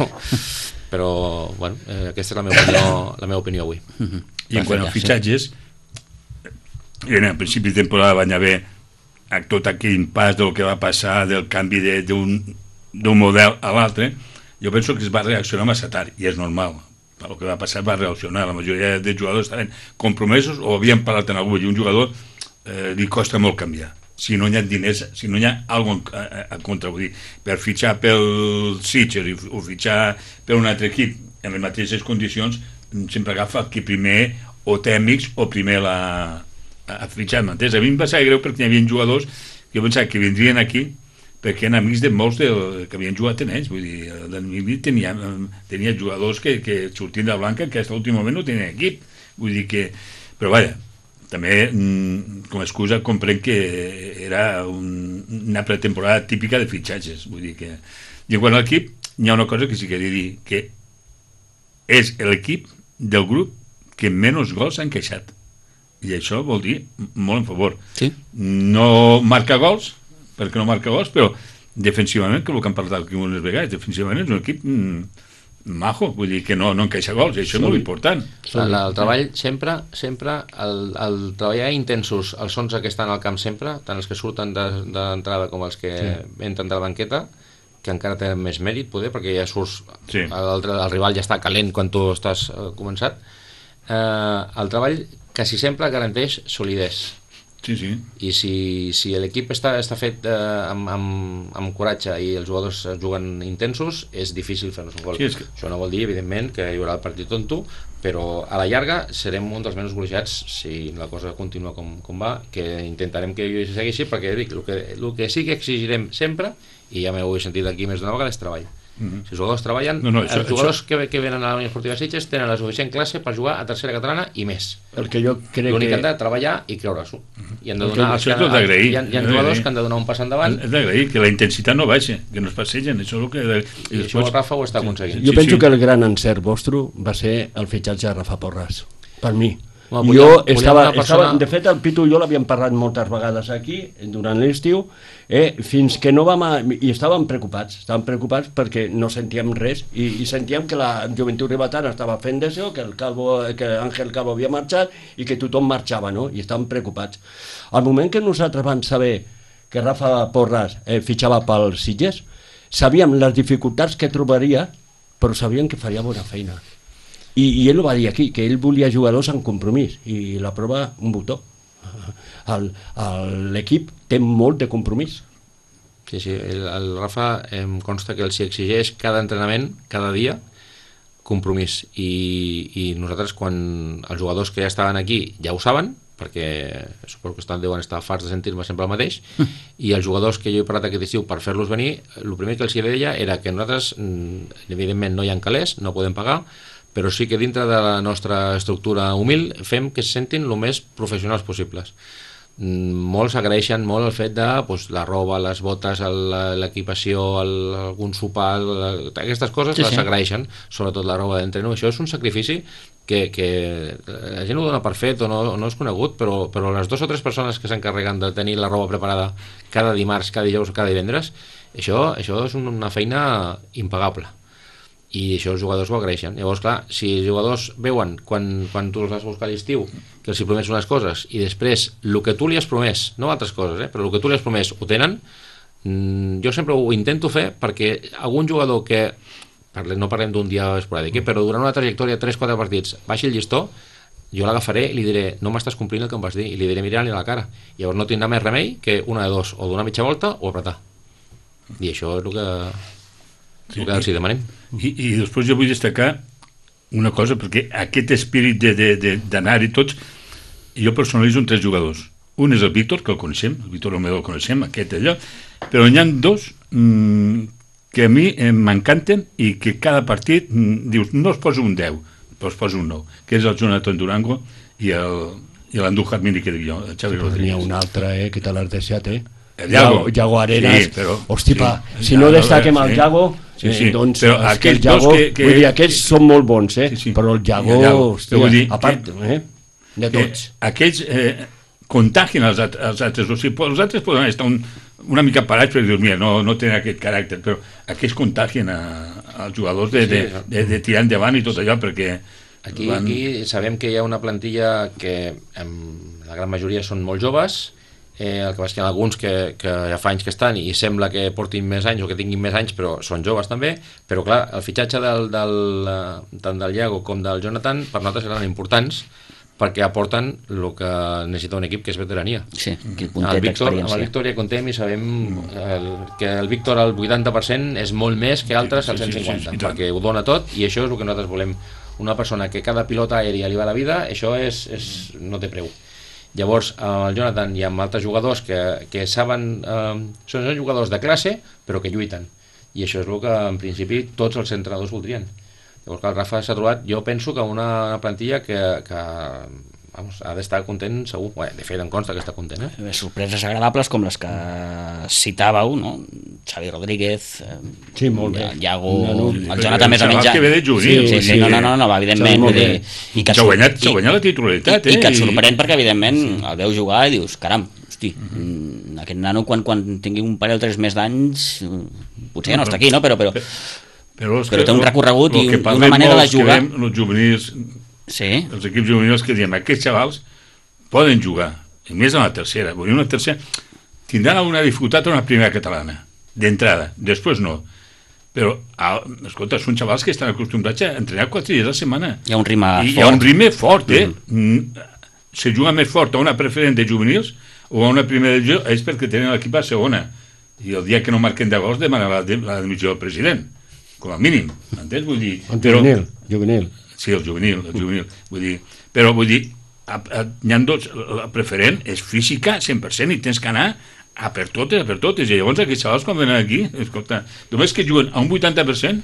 [SPEAKER 4] però bueno, eh, aquesta és la meva opinió, la meva opinió avui.
[SPEAKER 3] I en quant als
[SPEAKER 1] Sí.
[SPEAKER 3] fitxatges, en el principi de temporada van haver tot aquell impàs del que va passar, del canvi de- d'un d'un model a l'altre. Jo penso que es va reaccionar massa tard, i és normal. Per el que va passar va reaccionar. La majoria de jugadors estaven compromesos o havien parlat en algú, i un jugador eh, li costa molt canviar. Si no hi ha diners, si no hi ha alguna cosa a, a contra, vull dir, per fitxar pel Sitges o fitxar per un altre equip en les mateixes condicions, sempre agafa el que primer o té amics o primer la, a fitxar, m'entens? A mi em va ser greu perquè hi havia jugadors que jo pensava que vindrien aquí perquè eren amics de molts de, que havien jugat en ells, vull dir, el tenia, tenia jugadors que, que sortien de Blanca que fins a l'últim moment no tenien equip, vull dir que, però vaja, també com a excusa comprenc que era un, una pretemporada típica de fitxatges, vull dir que, i en quant a l'equip hi ha una cosa que sí que he de dir, que és l'equip del grup que menys gols ha encaixat, i això vol dir molt en favor.
[SPEAKER 1] Sí.
[SPEAKER 3] No marca gols, perquè no marca gols, però defensivament, que és el que hem parlat aquí unes vegades, defensivament és un equip mm, majo, vull dir que no, no encaixa gols, i això és molt important.
[SPEAKER 4] El, el treball sempre, sempre, el, el treballar intensos, els onze que estan al camp sempre, tant els que surten d'entrada com els que sí. entren de la banqueta, que encara tenen més mèrit, poder, perquè ja surts, sí. el, el rival ja està calent quan tu estàs eh, començat. Eh, el treball quasi sempre garanteix solidesa.
[SPEAKER 3] Sí, sí.
[SPEAKER 4] I si, si l'equip està, està fet eh, amb, amb, amb coratge i els jugadors juguen intensos, és difícil fer-nos un gol.
[SPEAKER 3] Sí, que...
[SPEAKER 4] Això no vol dir, evidentment, que hi haurà el partit tonto, però a la llarga serem un dels menys golejats si la cosa continua com, com va, que intentarem que hi segueixi, perquè dic, el que, el que sí que exigirem sempre, i ja m'heu sentit aquí més d'una vegada, és treball. Mm-hmm. Si els jugadors treballen, no, no, això, els jugadors això... que, que venen a la Unió Esportiva Sitges tenen la suficient classe per jugar a tercera catalana i més.
[SPEAKER 2] El que jo crec
[SPEAKER 4] L'únic que han
[SPEAKER 2] que...
[SPEAKER 4] de treballar i creure-s'ho.
[SPEAKER 3] Mm-hmm.
[SPEAKER 4] I han de donar,
[SPEAKER 3] això és tot d'agrair.
[SPEAKER 4] Hi ha, hi ha jugadors que han de donar un pas endavant.
[SPEAKER 3] És d'agrair, que la intensitat no baixa, que no es passegen, això és el que... I,
[SPEAKER 4] I després... això el Rafa ho està aconseguint.
[SPEAKER 2] Jo
[SPEAKER 3] sí,
[SPEAKER 2] penso
[SPEAKER 3] sí.
[SPEAKER 2] que el gran encert vostre va ser el fitxatge de Rafa Porras, per mi.
[SPEAKER 4] Bueno,
[SPEAKER 2] jo
[SPEAKER 4] volíem,
[SPEAKER 2] estava,
[SPEAKER 4] volíem persona...
[SPEAKER 2] estava, de fet el Pitu i jo l'havíem parlat moltes vegades aquí durant l'estiu, eh, fins que no vam a, i estàvem preocupats estàvem preocupats perquè no sentíem res i, i sentíem que la Joventut Ribetana estava fent d'això, que el Calvo, que Àngel Calvo havia marxat i que tothom marxava, no? I estàvem preocupats. Al moment que nosaltres vam saber que Rafa Porras eh, fitxava pel Sitges, sabíem les dificultats que trobaria, però sabíem que faria bona feina. I, i ell ho va dir aquí, que ell volia jugadors en compromís, i la prova, un botó. L'equip té molt de compromís.
[SPEAKER 4] Sí, sí, el, el Rafa em consta que els exigeix cada entrenament, cada dia, compromís. I, i nosaltres, quan els jugadors que ja estaven aquí ja ho saben, perquè suposo que estan, deuen estar farts de sentir-me sempre el mateix, i els jugadors que jo he parlat aquest estiu per fer-los venir, el primer que els deia era que nosaltres, evidentment, no hi ha calés, no podem pagar, però sí que dintre de la nostra estructura humil fem que se sentin el més professionals possibles. Molts agraeixen molt el fet de pues, la roba, les botes, l'equipació, algun sopar, aquestes coses sí, les sí. agraeixen, sobretot la roba d'entreno. Això és un sacrifici que, que la gent ho dona per fet o no, o no és conegut, però, però les dues o tres persones que s'encarreguen de tenir la roba preparada cada dimarts, cada dijous o cada divendres, això, això és una feina impagable. I això els jugadors ho agraeixen. Llavors, clar, si els jugadors veuen quan, quan tu els vas buscar a l'estiu que els hi promets unes coses i després el que tu li has promès, no altres coses, eh, però el que tu li has promès ho tenen, mmm, jo sempre ho intento fer perquè algun jugador que, parle, no parlem d'un dia esporàdic, eh, però durant una trajectòria de tres quatre partits baixi el llistó, jo l'agafaré i li diré no m'estàs complint el que em vas dir, i li diré mirant-li a la cara. Llavors no tindrà més remei que una de dos, o donar mitja volta o apretar. I això és el que... Sí, que els hi demanem.
[SPEAKER 3] I, i després jo vull destacar una cosa, perquè aquest espírit d'anar-hi tots, jo personalitzo en tres jugadors. Un és el Víctor, que el coneixem, el Víctor Romero el coneixem, aquest allò, però n'hi ha dos mmm, que a mi eh, m'encanten i que cada partit mmm, dius, no es posa un deu, però es posa un nou, que és el Jonathan Durango i l'Andújar Mini, que dic jo, el Xavi Rodríguez.
[SPEAKER 2] N'hi ha un altre, eh, que te l'has deixat, eh?
[SPEAKER 3] El Yago.
[SPEAKER 2] Yago Arenas,
[SPEAKER 3] sí, però,
[SPEAKER 2] hosti,
[SPEAKER 3] sí,
[SPEAKER 2] pa, si
[SPEAKER 3] ja,
[SPEAKER 2] no destaquem
[SPEAKER 3] sí,
[SPEAKER 2] el Yago,
[SPEAKER 3] sí, sí,
[SPEAKER 2] eh, doncs
[SPEAKER 3] però
[SPEAKER 2] és que el Yago,
[SPEAKER 3] que, que,
[SPEAKER 2] vull dir, aquests que, són molt bons, eh? Sí, sí. Però el Yago, el Yago hòstia, dir, a part, eh, de tots.
[SPEAKER 3] Aquells eh, contagien els, els altres, o sigui, els altres poden estar un, una mica parats perquè dius, mira, no, no tenen aquest caràcter, però aquells contagien a, als jugadors de, sí, de, de, de tirar endavant i tot allò, perquè...
[SPEAKER 4] Aquí, van... aquí sabem que hi ha una plantilla que en la gran majoria són molt joves. Eh, el que passa que hi ha alguns que, que ja fa anys que estan i sembla que portin més anys o que tinguin més anys, però són joves també. Però clar, el fitxatge del, del, tant del Iago com del Jonathan per nosaltres eren importants perquè aporten el que necessita un equip, que és veterania.
[SPEAKER 1] Sí, que puntet
[SPEAKER 4] d'experiència. Amb el Víctor ja contem i sabem el, que el Víctor al vuitanta per cent és molt més que altres al cent cinquanta, sí, sí, sí, perquè ho dona tot i això és el que nosaltres volem. Una persona que cada pilota aèria li va a la vida, això és, és, no té preu. Llavors, amb el Jonathan i amb altres jugadors que, que saben, eh, són jugadors de classe, però que lluiten. I això és el que, en principi, tots els entrenadors voldrien. Llavors, el Rafa s'ha trobat, jo penso que una, una plantilla que, que vamos, ha d'estar content, segur. Bé, de fet, em consta que està content. Eh?
[SPEAKER 1] Sorpreses agradables com les que citàveu, no? Xavi Rodríguez,
[SPEAKER 2] sí, molt bé.
[SPEAKER 1] Iago,
[SPEAKER 2] no, no,
[SPEAKER 1] el Jonathan més o menys...
[SPEAKER 3] Que ve de juvenil.
[SPEAKER 1] Sí, sí, sí, no, no, no, no, evidentment. Vull dir, i que
[SPEAKER 3] s'ha guanyat, s'ha guanyat la titularitat.
[SPEAKER 1] I, eh? I que et sorprèn perquè, evidentment, sí. El veus jugar i dius, caram, hosti, uh-huh. aquest nano quan, quan tingui un parell o tres més d'anys, potser ja no està aquí, no? Però... però però té un recorregut i una manera de jugar.
[SPEAKER 3] Els juvenils,
[SPEAKER 1] sí.
[SPEAKER 3] els equips juvenils que diem, aquests xavals poden jugar, i més en la tercera. Vull dir, una tercera tindran alguna dificultat en la primera catalana, d'entrada, després no. Però, escolta, són xavals que estan acostumbrats a entrenar quatre dies a la setmana.
[SPEAKER 1] Hi ha un ritme
[SPEAKER 3] I
[SPEAKER 1] fort.
[SPEAKER 3] Hi ha un ritme fort, eh? Mm. Se juga més fort a una preferent de juvenils o a una primera divisió, és perquè tenen l'equip a segona. I el dia que no marquen de gols demana la, la dimissió del president, com a mínim. Entens? Vull dir...
[SPEAKER 2] El juvenil, juvenil.
[SPEAKER 3] Sí, el juvenil, el juvenil. Vull dir, però vull dir, a, a, hi ha dos, la preferent és física cent per cent i tens que anar a per totes, a per totes, i llavors aquests xavals quan venen aquí, escolta, només que juguen a un vuitanta per cent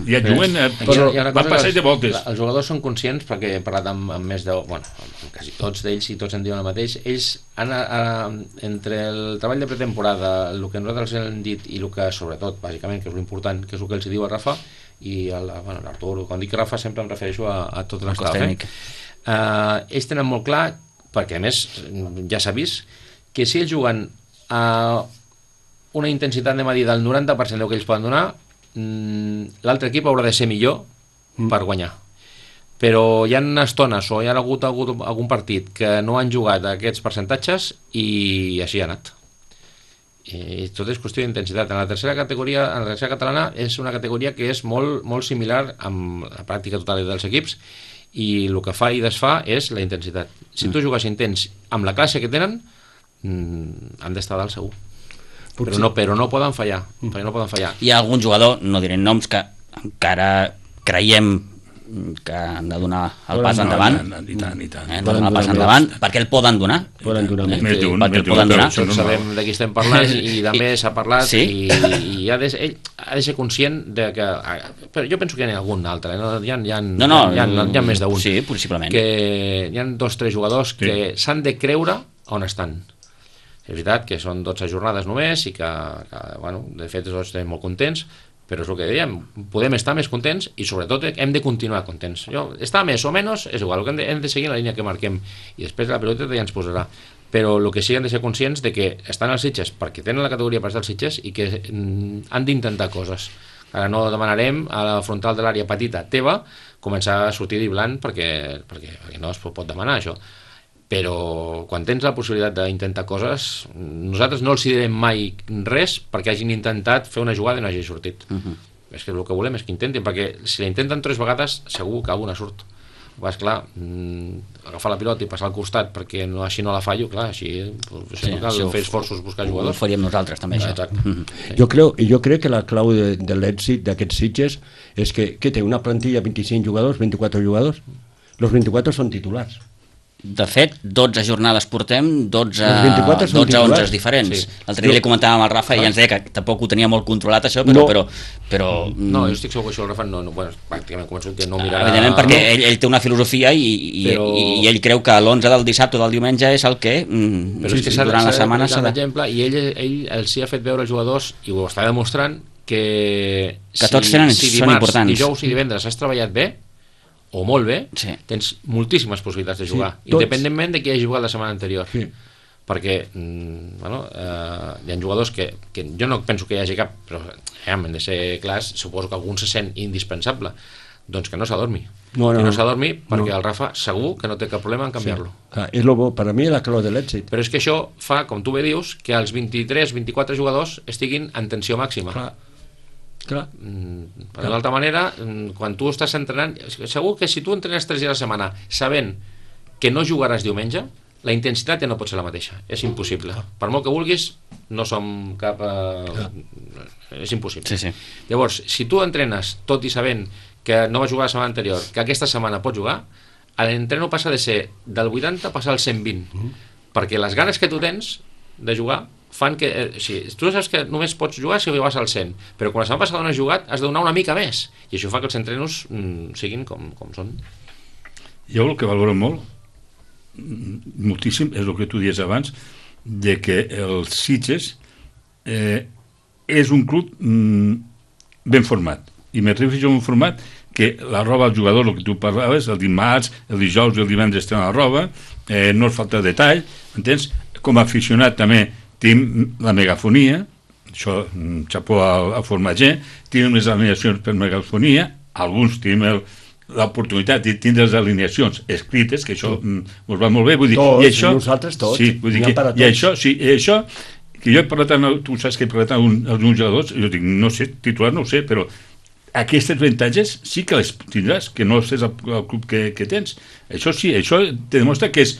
[SPEAKER 3] ja juguen, eh, però van passar de voltes.
[SPEAKER 4] Els jugadors són conscients, perquè he parlat amb, amb més de, bueno, amb quasi tots d'ells, i tots en diuen el mateix, ells han, a, entre el treball de pretemporada, el que nosaltres hem dit i el que sobretot, bàsicament, que és l'important, que és el que els diu el Rafa i l'Artur, bueno, quan dic Rafa sempre em refereixo a, a tot l'estaf, eh? Uh, ells tenen molt clar, perquè a més ja s'ha vist que si ells juguen a una intensitat de medida del noranta per cent del que ells poden donar, l'altre equip haurà de ser millor mm. per guanyar. Però hi ha estones o hi ha hagut, hagut algun partit que no han jugat aquests percentatges i així ha anat. I tot és qüestió d'intensitat. En la tercera categoria, en la tercera catalana, és una categoria que és molt, molt similar amb la pràctica totalitat dels equips, i el que fa i desfà és la intensitat. Si tu jugues intens amb la classe que tenen, han d'estar dalt segur. Però no, però no poden fallar, però no poden fallar.
[SPEAKER 1] Hi ha algun jugador, no diré noms, que encara creiem que han de donar el pas endavant,
[SPEAKER 3] i tant, i tant,
[SPEAKER 1] eh, donar el pas endavant, perquè el poden donar,
[SPEAKER 2] poden donar
[SPEAKER 1] eh,
[SPEAKER 3] més d'un,
[SPEAKER 1] perquè el poden donar.
[SPEAKER 4] Tots sabem de qui estem parlant i també s'ha parlat,
[SPEAKER 1] sí?
[SPEAKER 4] i, i ha de, ell ha de ser conscient de que, però jo penso que hi ha algun altre, no? Hi ha, hi ha,
[SPEAKER 1] no, no,
[SPEAKER 4] hi ha, hi ha, hi ha més d'un,
[SPEAKER 1] sí, possiblement,
[SPEAKER 4] que hi ha dos o tres jugadors que sí. s'han de creure on estan. És veritat que són dotze jornades només i que, que bueno, de fet tots estem molt contents, però és el que dèiem, podem estar més contents i sobretot hem de continuar contents. Jo, estar més o menys és igual, hem de, hem de seguir la línia que marquem i després la pelota ja ens posarà, però el que sí hem de ser conscients de que estan als Sitges perquè tenen la categoria per estar als Sitges i que mm, han d'intentar coses. Ara no demanarem a la frontal de l'àrea petita teva començar a sortir d'Iblant perquè, perquè, perquè no es pot demanar això. Però quan tens la possibilitat d'intentar coses, nosaltres no els direm mai res perquè hagin intentat fer una jugada i no hagi sortit. Uh-huh. És que el que volem és que intentin, perquè si la intenten tres vegades segur que alguna surt. Vas, clar, mmm, agafar la pilota i passar al costat perquè no, així no la fallo, clar, així pues, sí, cal fer esforços, buscar jugadors.
[SPEAKER 1] Ho faríem nosaltres també, això.
[SPEAKER 4] Exacte.
[SPEAKER 1] Uh-huh.
[SPEAKER 4] Sí.
[SPEAKER 2] Jo, creu, jo crec que la clau de, de l'èxit d'aquests Sitges és que, que té una plantilla de vint-i-cinc jugadors, vint-i-quatre jugadors, els vint-i-quatre són titulars.
[SPEAKER 1] De fet, dotze jornades portem, dotze,
[SPEAKER 2] dotze
[SPEAKER 1] onze diferents. Sí. L'altre dia li comentàvem al Rafa i ens deia que tampoc ho tenia molt controlat això, però...
[SPEAKER 2] No,
[SPEAKER 1] però, però
[SPEAKER 4] no jo estic segur que això el Rafa no, no bueno, pràcticament convençut que no mirarà...
[SPEAKER 1] Evidentment, perquè no. ell, ell té una filosofia i, i, però... i, i ell creu que l'onze del dissabte o del diumenge és el que mm,
[SPEAKER 4] però és que
[SPEAKER 1] durant la setmana s'ha de...
[SPEAKER 4] Exemple, i ell, ell els hi ha fet veure als jugadors, i ho està demostrant, que,
[SPEAKER 1] que tots si, tenen,
[SPEAKER 4] si
[SPEAKER 1] són
[SPEAKER 4] dimarts,
[SPEAKER 1] importants.
[SPEAKER 4] dijous i divendres has treballat bé, o molt bé,
[SPEAKER 1] sí.
[SPEAKER 4] tens moltíssimes possibilitats de jugar,
[SPEAKER 2] sí,
[SPEAKER 4] independentment de qui hagi jugat la setmana anterior.
[SPEAKER 2] Sí.
[SPEAKER 4] Perquè mm, bueno, eh, hi ha jugadors que, que jo no penso que hi hagi cap, però eh, hem de ser clars, suposo que algun se sent indispensable, doncs que no s'adormi.
[SPEAKER 2] No, no,
[SPEAKER 4] que no s'adormi perquè
[SPEAKER 2] no.
[SPEAKER 4] el Rafa segur que no té cap problema en canviar-lo.
[SPEAKER 2] Sí. Ah, és lo bo, per a mi és la clau de l'èxit.
[SPEAKER 4] Però és que això fa, com tu bé dius, que els vint-i-tres vint-i-quatre jugadors estiguin en tensió màxima.
[SPEAKER 2] Clar. Clar.
[SPEAKER 4] Mm, per l'altra manera, quan tu estàs entrenant, segur que si tu entrenes tres dies a la setmana sabent que no jugaràs diumenge, la intensitat ja no pot ser la mateixa, és impossible. Per molt que vulguis, no som cap... Eh, és impossible.
[SPEAKER 1] Sí, sí.
[SPEAKER 4] Llavors, si tu entrenes tot i sabent que no va jugar la setmana anterior, que aquesta setmana pot jugar, l'entreno passa de ser del vuitanta a passar al cent vint, mm. perquè les ganes que tu tens de jugar fan que, eh, sí, tu saps que només pots jugar si vas al cent, però quan la setmana passada no has jugat has de donar una mica més, i això fa que els entrenos mm, siguin com, com són.
[SPEAKER 3] Jo el que valoro molt moltíssim és el que tu dies abans, de que els Sitges eh, és un club mm, ben format, i me refereixo a un format que la roba al jugador, el que tu parlaves, el dimarts, el dijous i el divendres tenen la roba, eh, no es falta detall, entens? Com a aficionat també tenim la megafonia, això, xapó al, al formatger, tenim les alineacions per megafonia, alguns tenim el, l'oportunitat de tindre les alineacions escrites, que això mm. us va molt bé, vull dir,
[SPEAKER 2] tots,
[SPEAKER 3] i això,
[SPEAKER 2] nosaltres tots,
[SPEAKER 3] sí, vull dir que, i això, sí, i això, que jo he parlat amb, tu saps que he parlat amb un, amb uns jugadors, jo dic, no sé, titular no ho sé, però aquestes avantatges sí que les tindràs, que no sé el, el club que, que tens. Això sí, això te demostra que és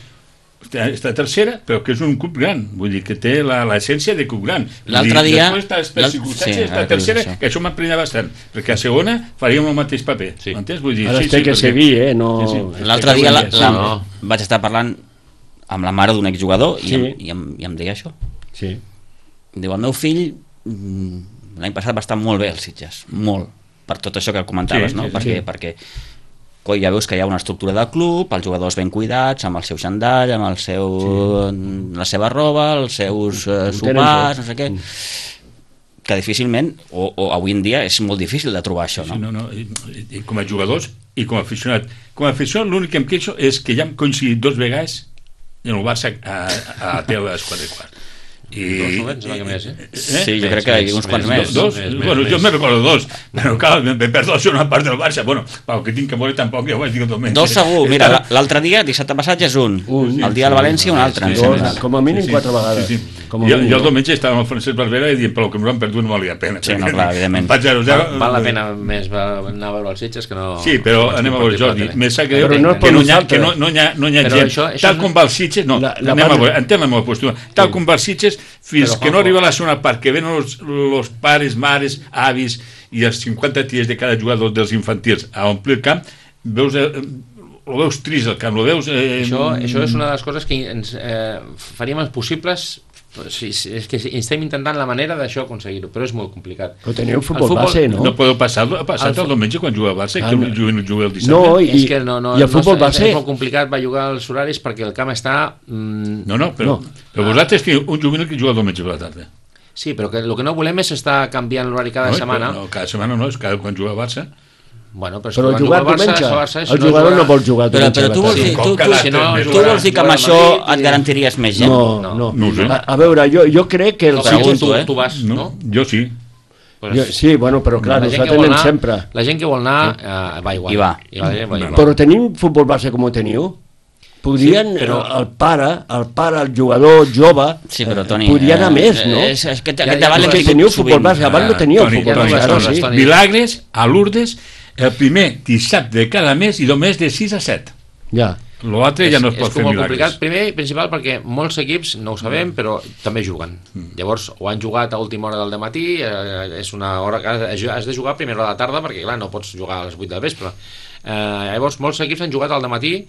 [SPEAKER 3] està tercera, però que és un club gran, vull dir que té l'essència de club gran.
[SPEAKER 1] L'altre dia...
[SPEAKER 3] Després estàs per circumstàncies, sí, està tercera, que això m'emprenya bastant, perquè a segona faríem el mateix paper.
[SPEAKER 1] Sí.
[SPEAKER 3] M'entens? Vull dir,
[SPEAKER 2] ara
[SPEAKER 3] sí,
[SPEAKER 2] té
[SPEAKER 3] sí,
[SPEAKER 2] que
[SPEAKER 3] perquè...
[SPEAKER 2] seguir, eh? No...
[SPEAKER 3] Sí, sí.
[SPEAKER 1] L'altre dia la, la,
[SPEAKER 2] no.
[SPEAKER 1] vaig estar parlant amb la mare d'un exjugador i,
[SPEAKER 2] sí.
[SPEAKER 1] em, i, em, i em deia això.
[SPEAKER 2] Sí.
[SPEAKER 1] Diu, el meu fill l'any passat va estar molt bé als Sitges, molt, per tot això que comentaves,
[SPEAKER 3] sí,
[SPEAKER 1] no?
[SPEAKER 3] Sí,
[SPEAKER 1] perquè,
[SPEAKER 2] sí.
[SPEAKER 1] perquè coi, ja veus que hi ha una estructura del club, els jugadors ben cuidats, amb el seu xandall, amb el seu, sí. la seva roba, els seus uh, sopars, no sé què, que difícilment, o, o avui en dia és molt difícil de trobar això, no?
[SPEAKER 3] Sí, no, no. I, i, i com a jugadors i com a aficionat. Com a aficionat l'únic que em queixo és que ja hem coincidit dos vegades en el Barça a, a, a Tele a les quatre i quart. I,
[SPEAKER 4] dos moments, no, que més, eh?
[SPEAKER 1] Sí, jo crec que hi ha uns quants més.
[SPEAKER 3] Dos?
[SPEAKER 4] Més, més,
[SPEAKER 3] bueno,
[SPEAKER 4] més.
[SPEAKER 3] jo me recordo dos, però clar, me perdo la segona part del Barça. Bueno, pel que tinc que veure tampoc, ja ho vaig dir el diumenge.
[SPEAKER 1] Dos segur, mira, l'altre dia, dissabte passat ja és un,
[SPEAKER 2] Un,
[SPEAKER 1] el dia del València un altre, em
[SPEAKER 3] sí,
[SPEAKER 1] sembla.
[SPEAKER 2] Dos, com a mínim
[SPEAKER 3] Sí, sí.
[SPEAKER 2] quatre vegades.
[SPEAKER 3] Sí, sí.
[SPEAKER 2] Com a
[SPEAKER 3] Jo,
[SPEAKER 2] mínim,
[SPEAKER 3] jo el
[SPEAKER 2] no?
[SPEAKER 3] diumenge estava amb el Francesc Barbera i dient, però el que m'ho han perdut no valia la pena.
[SPEAKER 1] Sí, no, clar, evidentment.
[SPEAKER 3] Em faig zero zero.
[SPEAKER 4] Val, val la pena més va anar a veure els Sitges que no...
[SPEAKER 3] Sí, però anem a veure, Jordi, me sap greu
[SPEAKER 2] Però no és
[SPEAKER 3] que
[SPEAKER 2] per
[SPEAKER 3] no hi ha,
[SPEAKER 2] nosaltres.
[SPEAKER 3] que no, no hi ha, no hi ha
[SPEAKER 4] Però
[SPEAKER 3] gent,
[SPEAKER 4] això- això
[SPEAKER 3] tal
[SPEAKER 4] és-
[SPEAKER 3] com va els Sitges, no,
[SPEAKER 2] La- la
[SPEAKER 3] anem
[SPEAKER 2] part-
[SPEAKER 3] a veure, entenc la meva postura, tal com va els Sitges, fins
[SPEAKER 4] Però,
[SPEAKER 3] que no
[SPEAKER 4] Juanjo-
[SPEAKER 3] arriba a la segona part, que venen els, els pares, mares, avis i els cinquanta ties de cada jugador dels infantils a omplir el camp, veus... Eh, ho veus trist el camp, ho veus... Eh,
[SPEAKER 4] Això, això és una de les coses que ens eh, faríem els possibles. Sí, sí, és que estem intentant la manera d'això aconseguir-ho, però és molt complicat.
[SPEAKER 2] Però teniu
[SPEAKER 4] El
[SPEAKER 2] futbol,
[SPEAKER 4] futbol-
[SPEAKER 2] base, no?
[SPEAKER 3] No podeu passar, passar
[SPEAKER 4] El
[SPEAKER 3] el,
[SPEAKER 4] fu-
[SPEAKER 3] diumenge quan juga al Barça,
[SPEAKER 2] Ah,
[SPEAKER 3] que
[SPEAKER 2] no.
[SPEAKER 3] juguen, juguen el dissabte.
[SPEAKER 2] No, i,
[SPEAKER 4] és que no, no,
[SPEAKER 2] i el futbol
[SPEAKER 4] no,
[SPEAKER 2] base...
[SPEAKER 4] és molt complicat, va jugar als horaris perquè el camp està... Mm,
[SPEAKER 3] No, no, però,
[SPEAKER 2] No.
[SPEAKER 3] però vosaltres teniu un juvenil que juga el diumenge per la tarda.
[SPEAKER 4] sí, però que el que no volem és estar canviant l'horari cada
[SPEAKER 3] no,
[SPEAKER 4] setmana.
[SPEAKER 3] No, cada setmana no, és cada quan juga al Barça.
[SPEAKER 4] Bueno, però, és
[SPEAKER 2] Però
[SPEAKER 4] que quan
[SPEAKER 2] jugar
[SPEAKER 4] juga el Barça,
[SPEAKER 2] diumenge,
[SPEAKER 4] el Barça, si
[SPEAKER 2] el jugador no vol jugar
[SPEAKER 1] Però,
[SPEAKER 2] diumenge.
[SPEAKER 1] però tu vols
[SPEAKER 2] a la
[SPEAKER 1] dir,
[SPEAKER 2] tarda.
[SPEAKER 1] tu,
[SPEAKER 3] Com
[SPEAKER 1] tu,
[SPEAKER 3] cada
[SPEAKER 4] si no,
[SPEAKER 3] tres
[SPEAKER 1] tu
[SPEAKER 3] mesos.
[SPEAKER 1] vols dir que amb
[SPEAKER 4] Madrid
[SPEAKER 1] això
[SPEAKER 4] i-
[SPEAKER 1] et garantiries més gent?
[SPEAKER 2] No,
[SPEAKER 4] No.
[SPEAKER 2] no.
[SPEAKER 3] No ho sé.
[SPEAKER 2] A, a veure, jo, jo crec que... El
[SPEAKER 4] No,
[SPEAKER 1] Pregunto,
[SPEAKER 4] tu,
[SPEAKER 1] eh?
[SPEAKER 4] tu vas, no?
[SPEAKER 3] No, jo sí.
[SPEAKER 4] Pues,
[SPEAKER 2] jo, sí, bueno, però clar,
[SPEAKER 4] la gent que
[SPEAKER 2] nosaltres
[SPEAKER 4] vol
[SPEAKER 2] anem
[SPEAKER 4] anar,
[SPEAKER 2] sempre.
[SPEAKER 4] La gent que vol anar eh, va igual.
[SPEAKER 1] I va.
[SPEAKER 4] I la gent va
[SPEAKER 3] No,
[SPEAKER 4] igual.
[SPEAKER 2] Però tenim futbol base com ho teniu? Podrien,
[SPEAKER 4] Sí, però-
[SPEAKER 2] però... el pare, el pare, el jugador jove,
[SPEAKER 1] Sí, però, Toni,
[SPEAKER 2] podria anar
[SPEAKER 1] eh,
[SPEAKER 2] més, no?
[SPEAKER 1] és- és que
[SPEAKER 4] Ja,
[SPEAKER 1] aquest
[SPEAKER 4] ja,
[SPEAKER 1] debat
[SPEAKER 2] És
[SPEAKER 1] l'hem
[SPEAKER 2] que
[SPEAKER 1] tingut
[SPEAKER 2] teniu futbol
[SPEAKER 1] sovint.
[SPEAKER 2] base, abans no teníeu
[SPEAKER 3] Toni,
[SPEAKER 2] futbol
[SPEAKER 3] Toni,
[SPEAKER 2] base, ara
[SPEAKER 3] Toni,
[SPEAKER 2] sí.
[SPEAKER 4] Toni.
[SPEAKER 3] Milagres a Lourdes el primer dissabte de cada mes i només de sis a set.
[SPEAKER 2] Ja.
[SPEAKER 3] L'altre ja no es
[SPEAKER 4] és,
[SPEAKER 3] pot
[SPEAKER 4] és
[SPEAKER 3] fer
[SPEAKER 4] com molt
[SPEAKER 3] milagres.
[SPEAKER 4] complicat, primer i principal perquè molts equips no ho sabem però també juguen, llavors o han jugat a última hora del matí, eh, és una hora que has, has de jugar a primera hora de la tarda perquè clar, no pots jugar a les vuit del vespre, eh, llavors molts equips han jugat al matí,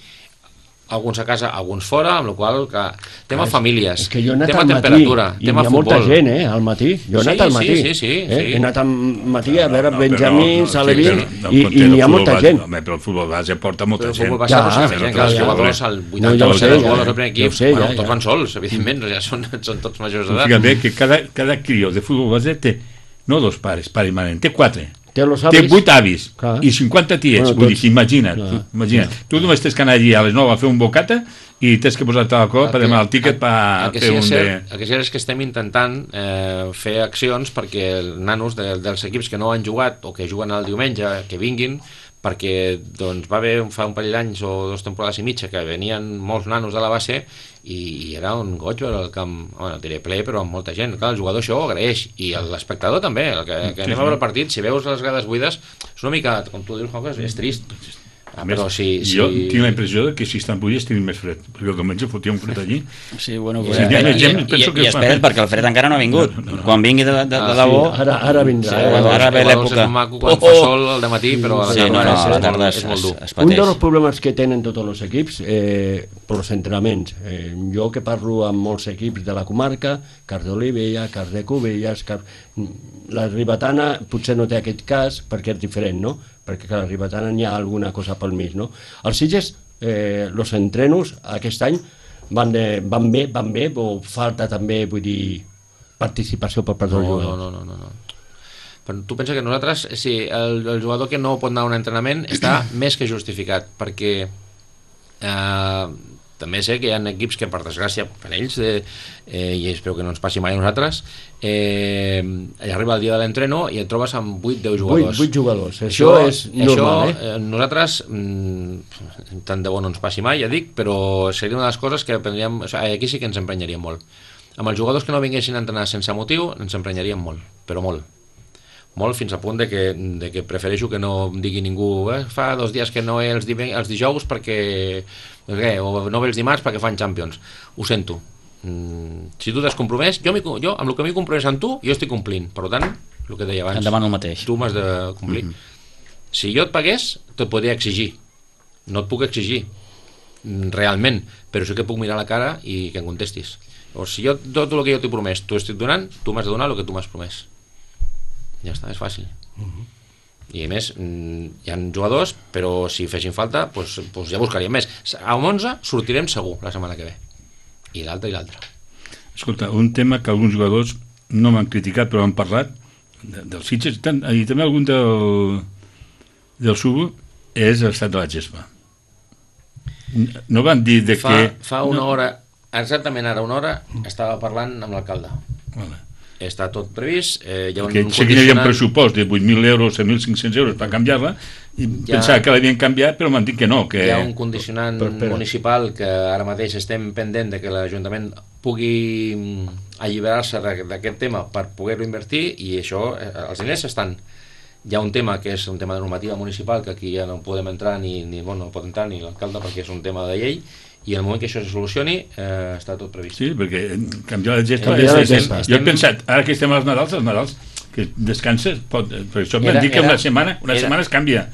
[SPEAKER 4] alguns a casa, alguns fora, amb la qual cosa, tema famílies,
[SPEAKER 2] És que jo he anat
[SPEAKER 4] tema
[SPEAKER 2] al matí,
[SPEAKER 4] temperatura,
[SPEAKER 2] i hi
[SPEAKER 4] tema
[SPEAKER 2] ha molta
[SPEAKER 4] futbol.
[SPEAKER 2] gent, eh, al matí. Jo he
[SPEAKER 4] Sí,
[SPEAKER 2] anat al
[SPEAKER 4] sí,
[SPEAKER 2] matí.
[SPEAKER 4] sí, sí,
[SPEAKER 2] eh?
[SPEAKER 4] sí.
[SPEAKER 2] He anat al matí a veure
[SPEAKER 3] No, no,
[SPEAKER 2] Benjamins,
[SPEAKER 3] però no,
[SPEAKER 2] Alevín,
[SPEAKER 3] sí, però no
[SPEAKER 2] i,
[SPEAKER 3] compte
[SPEAKER 2] i
[SPEAKER 3] el
[SPEAKER 2] hi ha
[SPEAKER 3] futbol
[SPEAKER 2] molta
[SPEAKER 3] base,
[SPEAKER 2] gent.
[SPEAKER 3] Home, però el futbol base porta molta
[SPEAKER 4] Però el
[SPEAKER 3] gent.
[SPEAKER 4] futbol base
[SPEAKER 2] Ja,
[SPEAKER 4] no s'ha
[SPEAKER 2] però
[SPEAKER 4] gent,
[SPEAKER 3] clar,
[SPEAKER 4] els
[SPEAKER 3] ja,
[SPEAKER 4] jugadors
[SPEAKER 3] ja.
[SPEAKER 4] al
[SPEAKER 2] No,
[SPEAKER 4] vuitanta
[SPEAKER 2] ja ho
[SPEAKER 4] per cent
[SPEAKER 2] sé,
[SPEAKER 4] dels
[SPEAKER 2] ja,
[SPEAKER 4] jugadors del primer
[SPEAKER 2] ja ho
[SPEAKER 4] equip,
[SPEAKER 2] sé,
[SPEAKER 4] bueno,
[SPEAKER 2] ja,
[SPEAKER 4] tots
[SPEAKER 2] ja.
[SPEAKER 4] van sols, evidentment, ja són, són tots majors d'edat.
[SPEAKER 3] Fíjate que cada, cada crió de futbol base té no dos pares, pare i mare, té quatre.
[SPEAKER 2] Té los
[SPEAKER 3] Té
[SPEAKER 2] avis.
[SPEAKER 3] vuit avis
[SPEAKER 2] Clar.
[SPEAKER 3] i cinquanta tiets,
[SPEAKER 2] Bueno,
[SPEAKER 3] vull dir,
[SPEAKER 2] tots.
[SPEAKER 3] que imagina't,
[SPEAKER 2] Clar.
[SPEAKER 3] tu, imagina't. Tu només tens que anar allí a les nou a fer un bocata i tens que posar-te a la cola per
[SPEAKER 4] que-
[SPEAKER 3] demanar el tíquet per
[SPEAKER 4] el que
[SPEAKER 3] fer
[SPEAKER 4] sí
[SPEAKER 3] un
[SPEAKER 4] és
[SPEAKER 3] de...
[SPEAKER 4] cert, el que sí és que estem intentant eh, fer accions perquè els nanos de, dels equips que no han jugat o que juguen el diumenge, que vinguin, perquè doncs, va haver fa un parell d'anys o dues temporades i mitja que venien molts nanos de la base i, i era un goig veure el camp, bueno, diré ple, però amb molta gent. Clar, el jugador això ho agraeix i l'espectador també, el que, que anem a veure el partit, si veus les grades buides, és una mica, com tu dius, Juanjo, és, és trist. Ah, però si, si...
[SPEAKER 3] Jo tinc la impressió que si estan buides tenim més fred, perquè el diumenge fotia un fred allí.
[SPEAKER 1] Sí, bueno,
[SPEAKER 3] Sí,
[SPEAKER 1] pues,
[SPEAKER 3] hi ha
[SPEAKER 1] i,
[SPEAKER 3] més gent,
[SPEAKER 1] i,
[SPEAKER 3] penso
[SPEAKER 1] i,
[SPEAKER 3] que
[SPEAKER 1] i
[SPEAKER 3] es fa-
[SPEAKER 1] espera't perquè el fred encara no ha vingut. Quan vingui de, de, de,
[SPEAKER 4] Ah,
[SPEAKER 1] de
[SPEAKER 4] sí,
[SPEAKER 1] debò...
[SPEAKER 2] Ara, ara vindrà.
[SPEAKER 1] Sí,
[SPEAKER 2] eh?
[SPEAKER 1] bueno, ara ve
[SPEAKER 4] Llavors
[SPEAKER 1] l'època.
[SPEAKER 4] és maco quan
[SPEAKER 1] Oh,
[SPEAKER 4] fa
[SPEAKER 1] oh.
[SPEAKER 4] sol al matí, però a la
[SPEAKER 1] Sí, no,
[SPEAKER 4] tarda
[SPEAKER 1] no,
[SPEAKER 4] és,
[SPEAKER 1] a la
[SPEAKER 4] molt-
[SPEAKER 1] tarda
[SPEAKER 4] és
[SPEAKER 1] es,
[SPEAKER 4] molt
[SPEAKER 1] es,
[SPEAKER 4] dur.
[SPEAKER 1] es
[SPEAKER 2] Un dels
[SPEAKER 1] pateix.
[SPEAKER 2] problemes que tenen tots els equips, eh, per els entrenaments, eh, jo que parlo amb molts equips de la comarca, Cars d'Olivella, Cars de Cubelles, Cars... la Ribetana potser no té aquest cas perquè és diferent, no? Perquè clar, a la Ribetana n'hi ha alguna cosa pel mig, no? Els Sitges, eh, els entrenos aquest any van, de, van bé, van bé, o falta també, vull dir, participació per part dels
[SPEAKER 4] No, no,
[SPEAKER 2] jugadors?
[SPEAKER 4] no, no, no, no. Però tu pensa que nosaltres, sí, el, el jugador que no pot anar a un entrenament està més que justificat, perquè eh, també sé que hi ha equips que, per desgràcia, per ells, eh, eh, i espero que no ens passi mai a nosaltres, eh, arriba el dia de l'entreno i et trobes amb vuit deu jugadors.
[SPEAKER 2] vuit jugadors, això, això és normal,
[SPEAKER 4] això, eh? Nosaltres, mm, tant de bo no ens passi mai, ja dic, però seria una de les coses que prendríem, o sigui, aquí sí que ens emprenyaríem molt. Amb els jugadors que no vinguessin a entrenar sense motiu, ens emprenyaríem molt, però molt. Molt, fins al punt de que, de que prefereixo que no em digui ningú eh, fa dos dies que no ve els, els dijous perquè què, o no ve els dimarts perquè fan Champions. Ho sento, mm, si tu t'has compromès, jo, jo amb el que m'he compromès amb tu, jo estic complint, per tant, el que deia abans,
[SPEAKER 1] et demano el mateix,
[SPEAKER 4] tu m'has de complir. Mm-hmm. Si jo et pagués, te't podria exigir, no et puc exigir realment, però sí que puc mirar la cara i que em contestis. O si jo, tot el que jo t'he promès tu estic donant, tu m'has de donar el que tu m'has promès. Ja està, és fàcil. Uh-huh. I a més, hi ha jugadors, però si fessin falta, doncs, doncs ja buscaríem més. A onze sortirem segur la setmana que ve. I l'altre i l'altre.
[SPEAKER 3] Escolta, un tema que alguns jugadors no m'han criticat, però han parlat de, dels Sitges, tant, i també algun del, del Subo, és l'estat de la gespa. No van dir de
[SPEAKER 4] fa,
[SPEAKER 3] que...
[SPEAKER 4] Fa una no. hora, exactament ara una hora, estava parlant amb l'alcalde.
[SPEAKER 3] Vale.
[SPEAKER 4] Està tot previst, eh, hi ha un
[SPEAKER 3] que sé que hi havia un pressupost de vuit mil euros, set mil cinc-cents euros per canviar-la, i ja, pensava que l'havien canviat, però m'han dit que no. Que...
[SPEAKER 4] Hi ha un condicionant però, però... municipal que ara mateix estem pendent de que l'Ajuntament pugui alliberar-se d'aquest tema per poder-lo invertir, i això, els diners estan. Hi ha un tema que és un tema de normativa municipal, que aquí ja no podem entrar, ni, ni bueno, no pot entrar ni l'alcalde perquè és un tema de llei, i en el moment que això se solucioni eh, està tot previst.
[SPEAKER 3] Sí, perquè canviar la gespa... És, és, és, jo he pensat, ara que estem als Nadals, els Nadals, que descanses, pot, per això m'han dit que una setmana, una era, setmana es canvia.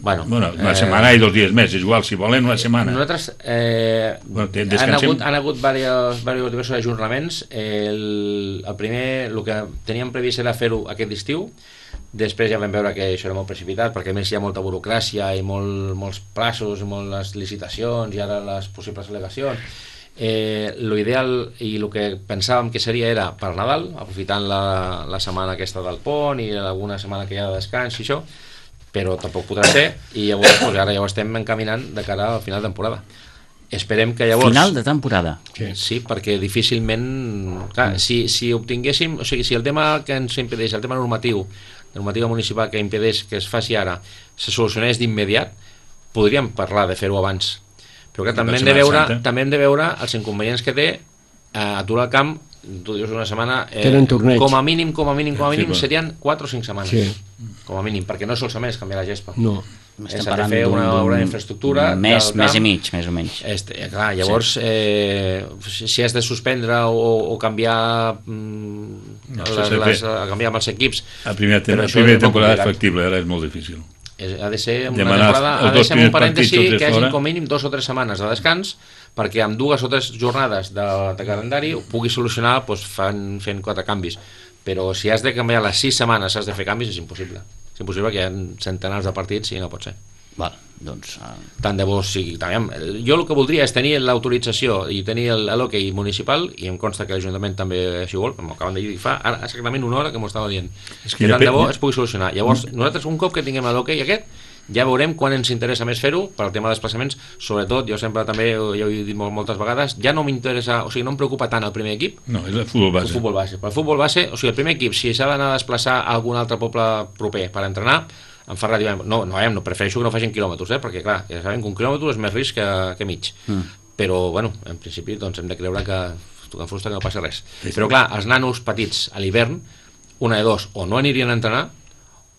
[SPEAKER 4] Bueno,
[SPEAKER 3] bueno una
[SPEAKER 4] eh,
[SPEAKER 3] setmana i dos dies més, és igual, si volen una setmana.
[SPEAKER 4] Nosaltres eh, bueno, han hagut, han hagut diversos, diversos ajornaments. El, el primer, el que teníem previst era fer-ho aquest estiu. Després ja vam veure que això era molt precipitat, perquè a més hi ha molta burocràcia i molt, molts plaços i moltes licitacions i ara les possibles al·legacions. Eh, l'ideal i el que pensàvem que seria era per Nadal, aprofitant la, la setmana aquesta del pont i alguna setmana que hi ha de descans i això, però tampoc podrà ser, i llavors doncs, ara ja ho estem encaminant de cara al final de temporada. Esperem que llavors...
[SPEAKER 1] Final de temporada.
[SPEAKER 4] Sí, sí, perquè difícilment... Clar, si, si obtinguéssim... O sigui, si el tema que ens impedeix, el tema normatiu, la normativa municipal que impedeix que es faci ara, se solucionés d'immediat, podríem parlar de fer-ho abans. Però que també hem de veure, també hem de veure els inconvenients que té eh, aturar el camp, tu dius una setmana, eh, com a mínim, com a mínim, com a mínim, serien quatre o cinc setmanes. Sí. Com a mínim, perquè no solament és canviar la gespa.
[SPEAKER 2] No.
[SPEAKER 4] S'ha de fer una obra d'infraestructura
[SPEAKER 1] més, més i mig, més o menys.
[SPEAKER 4] Este, clar, llavors sí. eh, si has de suspendre o, o canviar mm, no, les, les, canviar amb els equips
[SPEAKER 3] a primera, tem a primera temporada és factible, ara és molt difícil.
[SPEAKER 4] És, ha de ser una temporada, ha de ser un parèntesi que hagi com mínim dos o tres setmanes de descans perquè amb dues o tres jornades de, de calendari ho pugui solucionar doncs, fan, fent quatre canvis, però si has de canviar les sis setmanes has de fer canvis és impossible. És impossible que hi ha centenars de partits i no pot ser.
[SPEAKER 1] Val, doncs... Uh...
[SPEAKER 4] Tant de bo sigui... També, jo el que voldria és tenir l'autorització i tenir l'hoquei municipal, i em consta que l'Ajuntament també així vol, m'ho acaben de dir fa ara exactament una hora que m'ho estava dient. És que tant de bo es pugui solucionar. Llavors, nosaltres un cop que tinguem l'hoquei aquest, ja veurem quan ens interessa més fer-ho per al tema de desplaçaments, sobretot, jo sempre també, ja ho he dit moltes vegades, ja no m'interessa, o sigui, no em preocupa tant el primer equip.
[SPEAKER 3] No, és el futbol base.
[SPEAKER 4] El futbol base. Per el futbol base, o sigui, el primer equip, si s'ha d'anar a desplaçar a algun altre poble proper per entrenar, em fa ràdio, no, no, no, prefereixo que no facin quilòmetres, eh, perquè clar, ja sabem que un quilòmetre és més risc que, que mig. Mm. Però, bueno, en principi, doncs hem de creure que tu que frusta que no passa res. Sí, però clar, els nanos petits a l'hivern, una de dos, o no anirien a entrenar,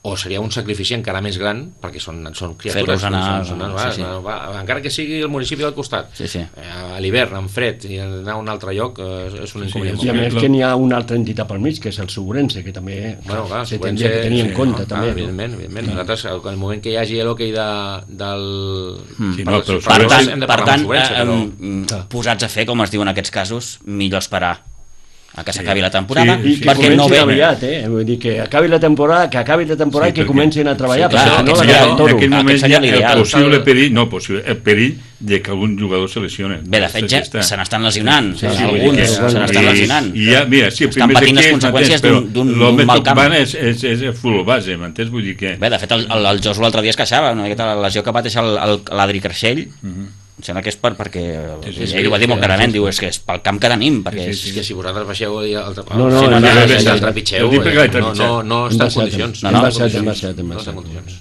[SPEAKER 4] o seria un sacrifici encara més gran perquè són, són criatures
[SPEAKER 1] anar,
[SPEAKER 4] són, són, va, sí, sí. Va, encara que sigui el municipi del costat
[SPEAKER 1] sí, sí.
[SPEAKER 4] a l'hivern, en fred i anar a un altre lloc eh, és un inconvenient
[SPEAKER 2] sí, sí. I a més que n'hi ha una altra entitat pel mig que és el Segurense que també
[SPEAKER 4] bueno, clar,
[SPEAKER 2] se tindria que tenir en sí, compte no, també,
[SPEAKER 4] evidentment, evidentment. No. Nosaltres al moment que hi hagi l'hoquei de, del
[SPEAKER 1] mm. sí, no, per, per, per tant, per tant però... eh, posats a fer com es diu en aquests casos millor esperar a que s'acabi la temporada
[SPEAKER 2] sí, sí, perquè no ve aviat, eh? Vull dir que acabi la temporada, que acabi la temporada sí, i que comencin a treballar, sí, clar,
[SPEAKER 3] no seria, en aquell moment hi ha el possible perill, no, possible, el perill de que algun jugador se lesione.
[SPEAKER 1] Bé, de fet ja se n'estan lesionant, sí, sí, alguns sí, se n'estan lesionant.
[SPEAKER 3] I ja, mira, sí,
[SPEAKER 1] estan patint les conseqüències d'un mal camp.
[SPEAKER 3] És, és, és el futbol base, m'entens? Vull dir que...
[SPEAKER 1] Bé, de fet, el, el, el Josu l'altre dia es queixava, una miqueta la lesió que pateix l'Adri Creixell, Em sembla que és per, perquè
[SPEAKER 3] Sí, sí,
[SPEAKER 1] ell
[SPEAKER 3] sí,
[SPEAKER 1] ho va dir
[SPEAKER 3] sí,
[SPEAKER 1] molt
[SPEAKER 3] sí,
[SPEAKER 1] clarament,
[SPEAKER 3] sí.
[SPEAKER 1] diu, és que és pel camp que tenim, perquè
[SPEAKER 3] Sí,
[SPEAKER 1] és...
[SPEAKER 3] sí,
[SPEAKER 4] És que si vosaltres baixeu i el, el,
[SPEAKER 2] No, no,
[SPEAKER 1] Sí, no,
[SPEAKER 2] hem
[SPEAKER 1] no,
[SPEAKER 2] baixat,
[SPEAKER 1] no,
[SPEAKER 2] hem
[SPEAKER 1] no,
[SPEAKER 2] baixat.
[SPEAKER 4] trepitxeu,
[SPEAKER 3] Jo dic perquè l'he
[SPEAKER 4] no, no,
[SPEAKER 3] trepitjat.
[SPEAKER 4] no
[SPEAKER 2] Hem
[SPEAKER 4] està en
[SPEAKER 2] baixat,
[SPEAKER 4] condicions.
[SPEAKER 1] No,
[SPEAKER 2] hem
[SPEAKER 1] no,
[SPEAKER 2] baixat, hem
[SPEAKER 1] condicions.
[SPEAKER 2] baixat, hem
[SPEAKER 4] No està en
[SPEAKER 2] baixat.
[SPEAKER 4] condicions.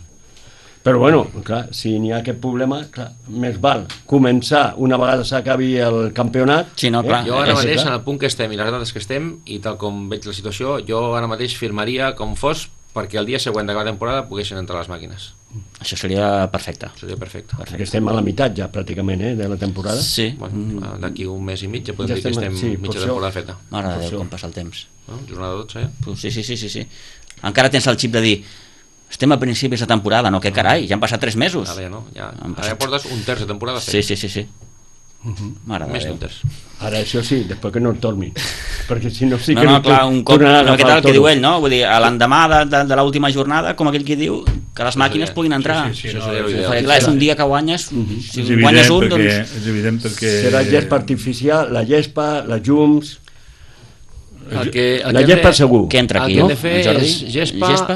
[SPEAKER 2] Però bueno, clar, si n'hi ha aquest problema, clar, més val començar una vegada s'acabi el campionat.
[SPEAKER 1] Sí, no, clar.
[SPEAKER 4] Jo ara
[SPEAKER 1] És
[SPEAKER 4] mateix,
[SPEAKER 2] clar.
[SPEAKER 4] en el punt que estem i les dades que estem, i tal com veig la situació, jo ara mateix firmaria com fos perquè el dia següent de cada temporada poguessin entrar les màquines.
[SPEAKER 1] Això seria perfecte.
[SPEAKER 4] Seria perfecte.
[SPEAKER 2] Perquè estem a la meitat ja, pràcticament, eh, de la temporada.
[SPEAKER 1] Sí.
[SPEAKER 4] Bueno, d'aquí un mes i mig ja podem
[SPEAKER 2] Ja
[SPEAKER 4] dir que
[SPEAKER 2] estem-
[SPEAKER 4] estem
[SPEAKER 2] sí, per
[SPEAKER 4] mitja
[SPEAKER 2] això-
[SPEAKER 4] temporada feta.
[SPEAKER 1] Mare de
[SPEAKER 2] Per
[SPEAKER 1] Déu,
[SPEAKER 2] això.
[SPEAKER 1] com passa el temps.
[SPEAKER 4] No? Jornada dotze, ja?
[SPEAKER 1] Tu, Sí, sí, sí, sí, sí. Encara tens el xip de dir estem a principis de temporada, no? Que carai, ja han passat tres mesos.
[SPEAKER 4] Ara ja no, ja,
[SPEAKER 1] Han
[SPEAKER 4] ara ja
[SPEAKER 1] passat-
[SPEAKER 4] portes un terç de temporada fet.
[SPEAKER 1] Sí, sí, sí, sí. Mare de
[SPEAKER 4] Més
[SPEAKER 1] Déu.
[SPEAKER 4] d'un terç.
[SPEAKER 2] Ara això sí, després que no el tornin. Perquè si no sí
[SPEAKER 1] No,
[SPEAKER 2] que
[SPEAKER 1] no, clar, un cop,
[SPEAKER 2] tornaran a
[SPEAKER 1] no, què
[SPEAKER 2] agafar
[SPEAKER 1] tal
[SPEAKER 2] el
[SPEAKER 1] que diu
[SPEAKER 2] toro.
[SPEAKER 1] ell, no? Vull dir, a l'endemà de, de, de l'última jornada, com aquell que diu, que les màquines
[SPEAKER 4] seria-
[SPEAKER 1] puguin entrar.
[SPEAKER 3] Sí, sí,
[SPEAKER 4] Això
[SPEAKER 3] no,
[SPEAKER 4] seria
[SPEAKER 3] és-
[SPEAKER 4] l'ideal.
[SPEAKER 1] Perquè clar, és un dia que guanyes, si
[SPEAKER 3] És
[SPEAKER 1] guanyes
[SPEAKER 3] evident
[SPEAKER 1] un,
[SPEAKER 3] perquè,
[SPEAKER 1] doncs...
[SPEAKER 3] és evident perquè...
[SPEAKER 2] Serà gespa artificial, la gespa, les llums...
[SPEAKER 4] El que, el
[SPEAKER 2] La
[SPEAKER 4] que hem
[SPEAKER 2] gespa
[SPEAKER 4] de-
[SPEAKER 2] segur.
[SPEAKER 1] Què entra aquí,
[SPEAKER 4] El que hem
[SPEAKER 1] no?
[SPEAKER 4] de fer
[SPEAKER 1] En Jordi?
[SPEAKER 4] és gespa,
[SPEAKER 1] Gespa?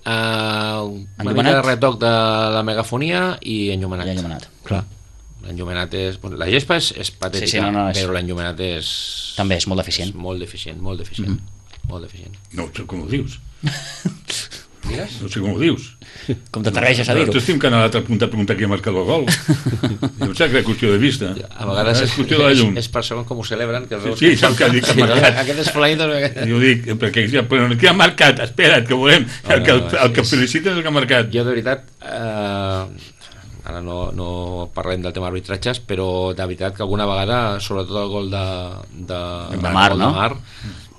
[SPEAKER 4] eh, una
[SPEAKER 1] Enllumenat?
[SPEAKER 4] mica de retoc de la megafonia i enllumenat.
[SPEAKER 1] Ja enllumenat.
[SPEAKER 2] Clar.
[SPEAKER 4] L'enllumenat és... bueno, la gespa és, és patètica,
[SPEAKER 1] Sí, sí, no, no, és-
[SPEAKER 4] però l'enllumenat és...
[SPEAKER 1] També és molt deficient.
[SPEAKER 4] És molt deficient, molt deficient.
[SPEAKER 1] Mhm.
[SPEAKER 4] Molt deficient.
[SPEAKER 3] No sé com ho dius.
[SPEAKER 4] Digues?
[SPEAKER 3] No sé com ho dius.
[SPEAKER 1] Com t'atreveixes a dir-ho?
[SPEAKER 3] Nosaltres estem que a l'altre punt a preguntar qui ha marcat el gol. No sé que és qüestió de vista.
[SPEAKER 4] A vegades
[SPEAKER 3] és qüestió de la llum.
[SPEAKER 4] és, és per segons com ho celebren, que veus
[SPEAKER 3] Sí,
[SPEAKER 4] que
[SPEAKER 3] sap que dic que ha
[SPEAKER 4] sí,
[SPEAKER 3] marcat.
[SPEAKER 4] aquest és fulanito.
[SPEAKER 3] Jo dic, perquè ja, però qui ha marcat? Espera't, que volem. El que, el, el que felicita és el que ha marcat.
[SPEAKER 4] Jo, de veritat, eh, ara no, no parlem del tema arbitratges, però de veritat que alguna vegada, sobretot el gol de, de,
[SPEAKER 1] De Mar,
[SPEAKER 4] el gol
[SPEAKER 1] no?
[SPEAKER 4] de Mar,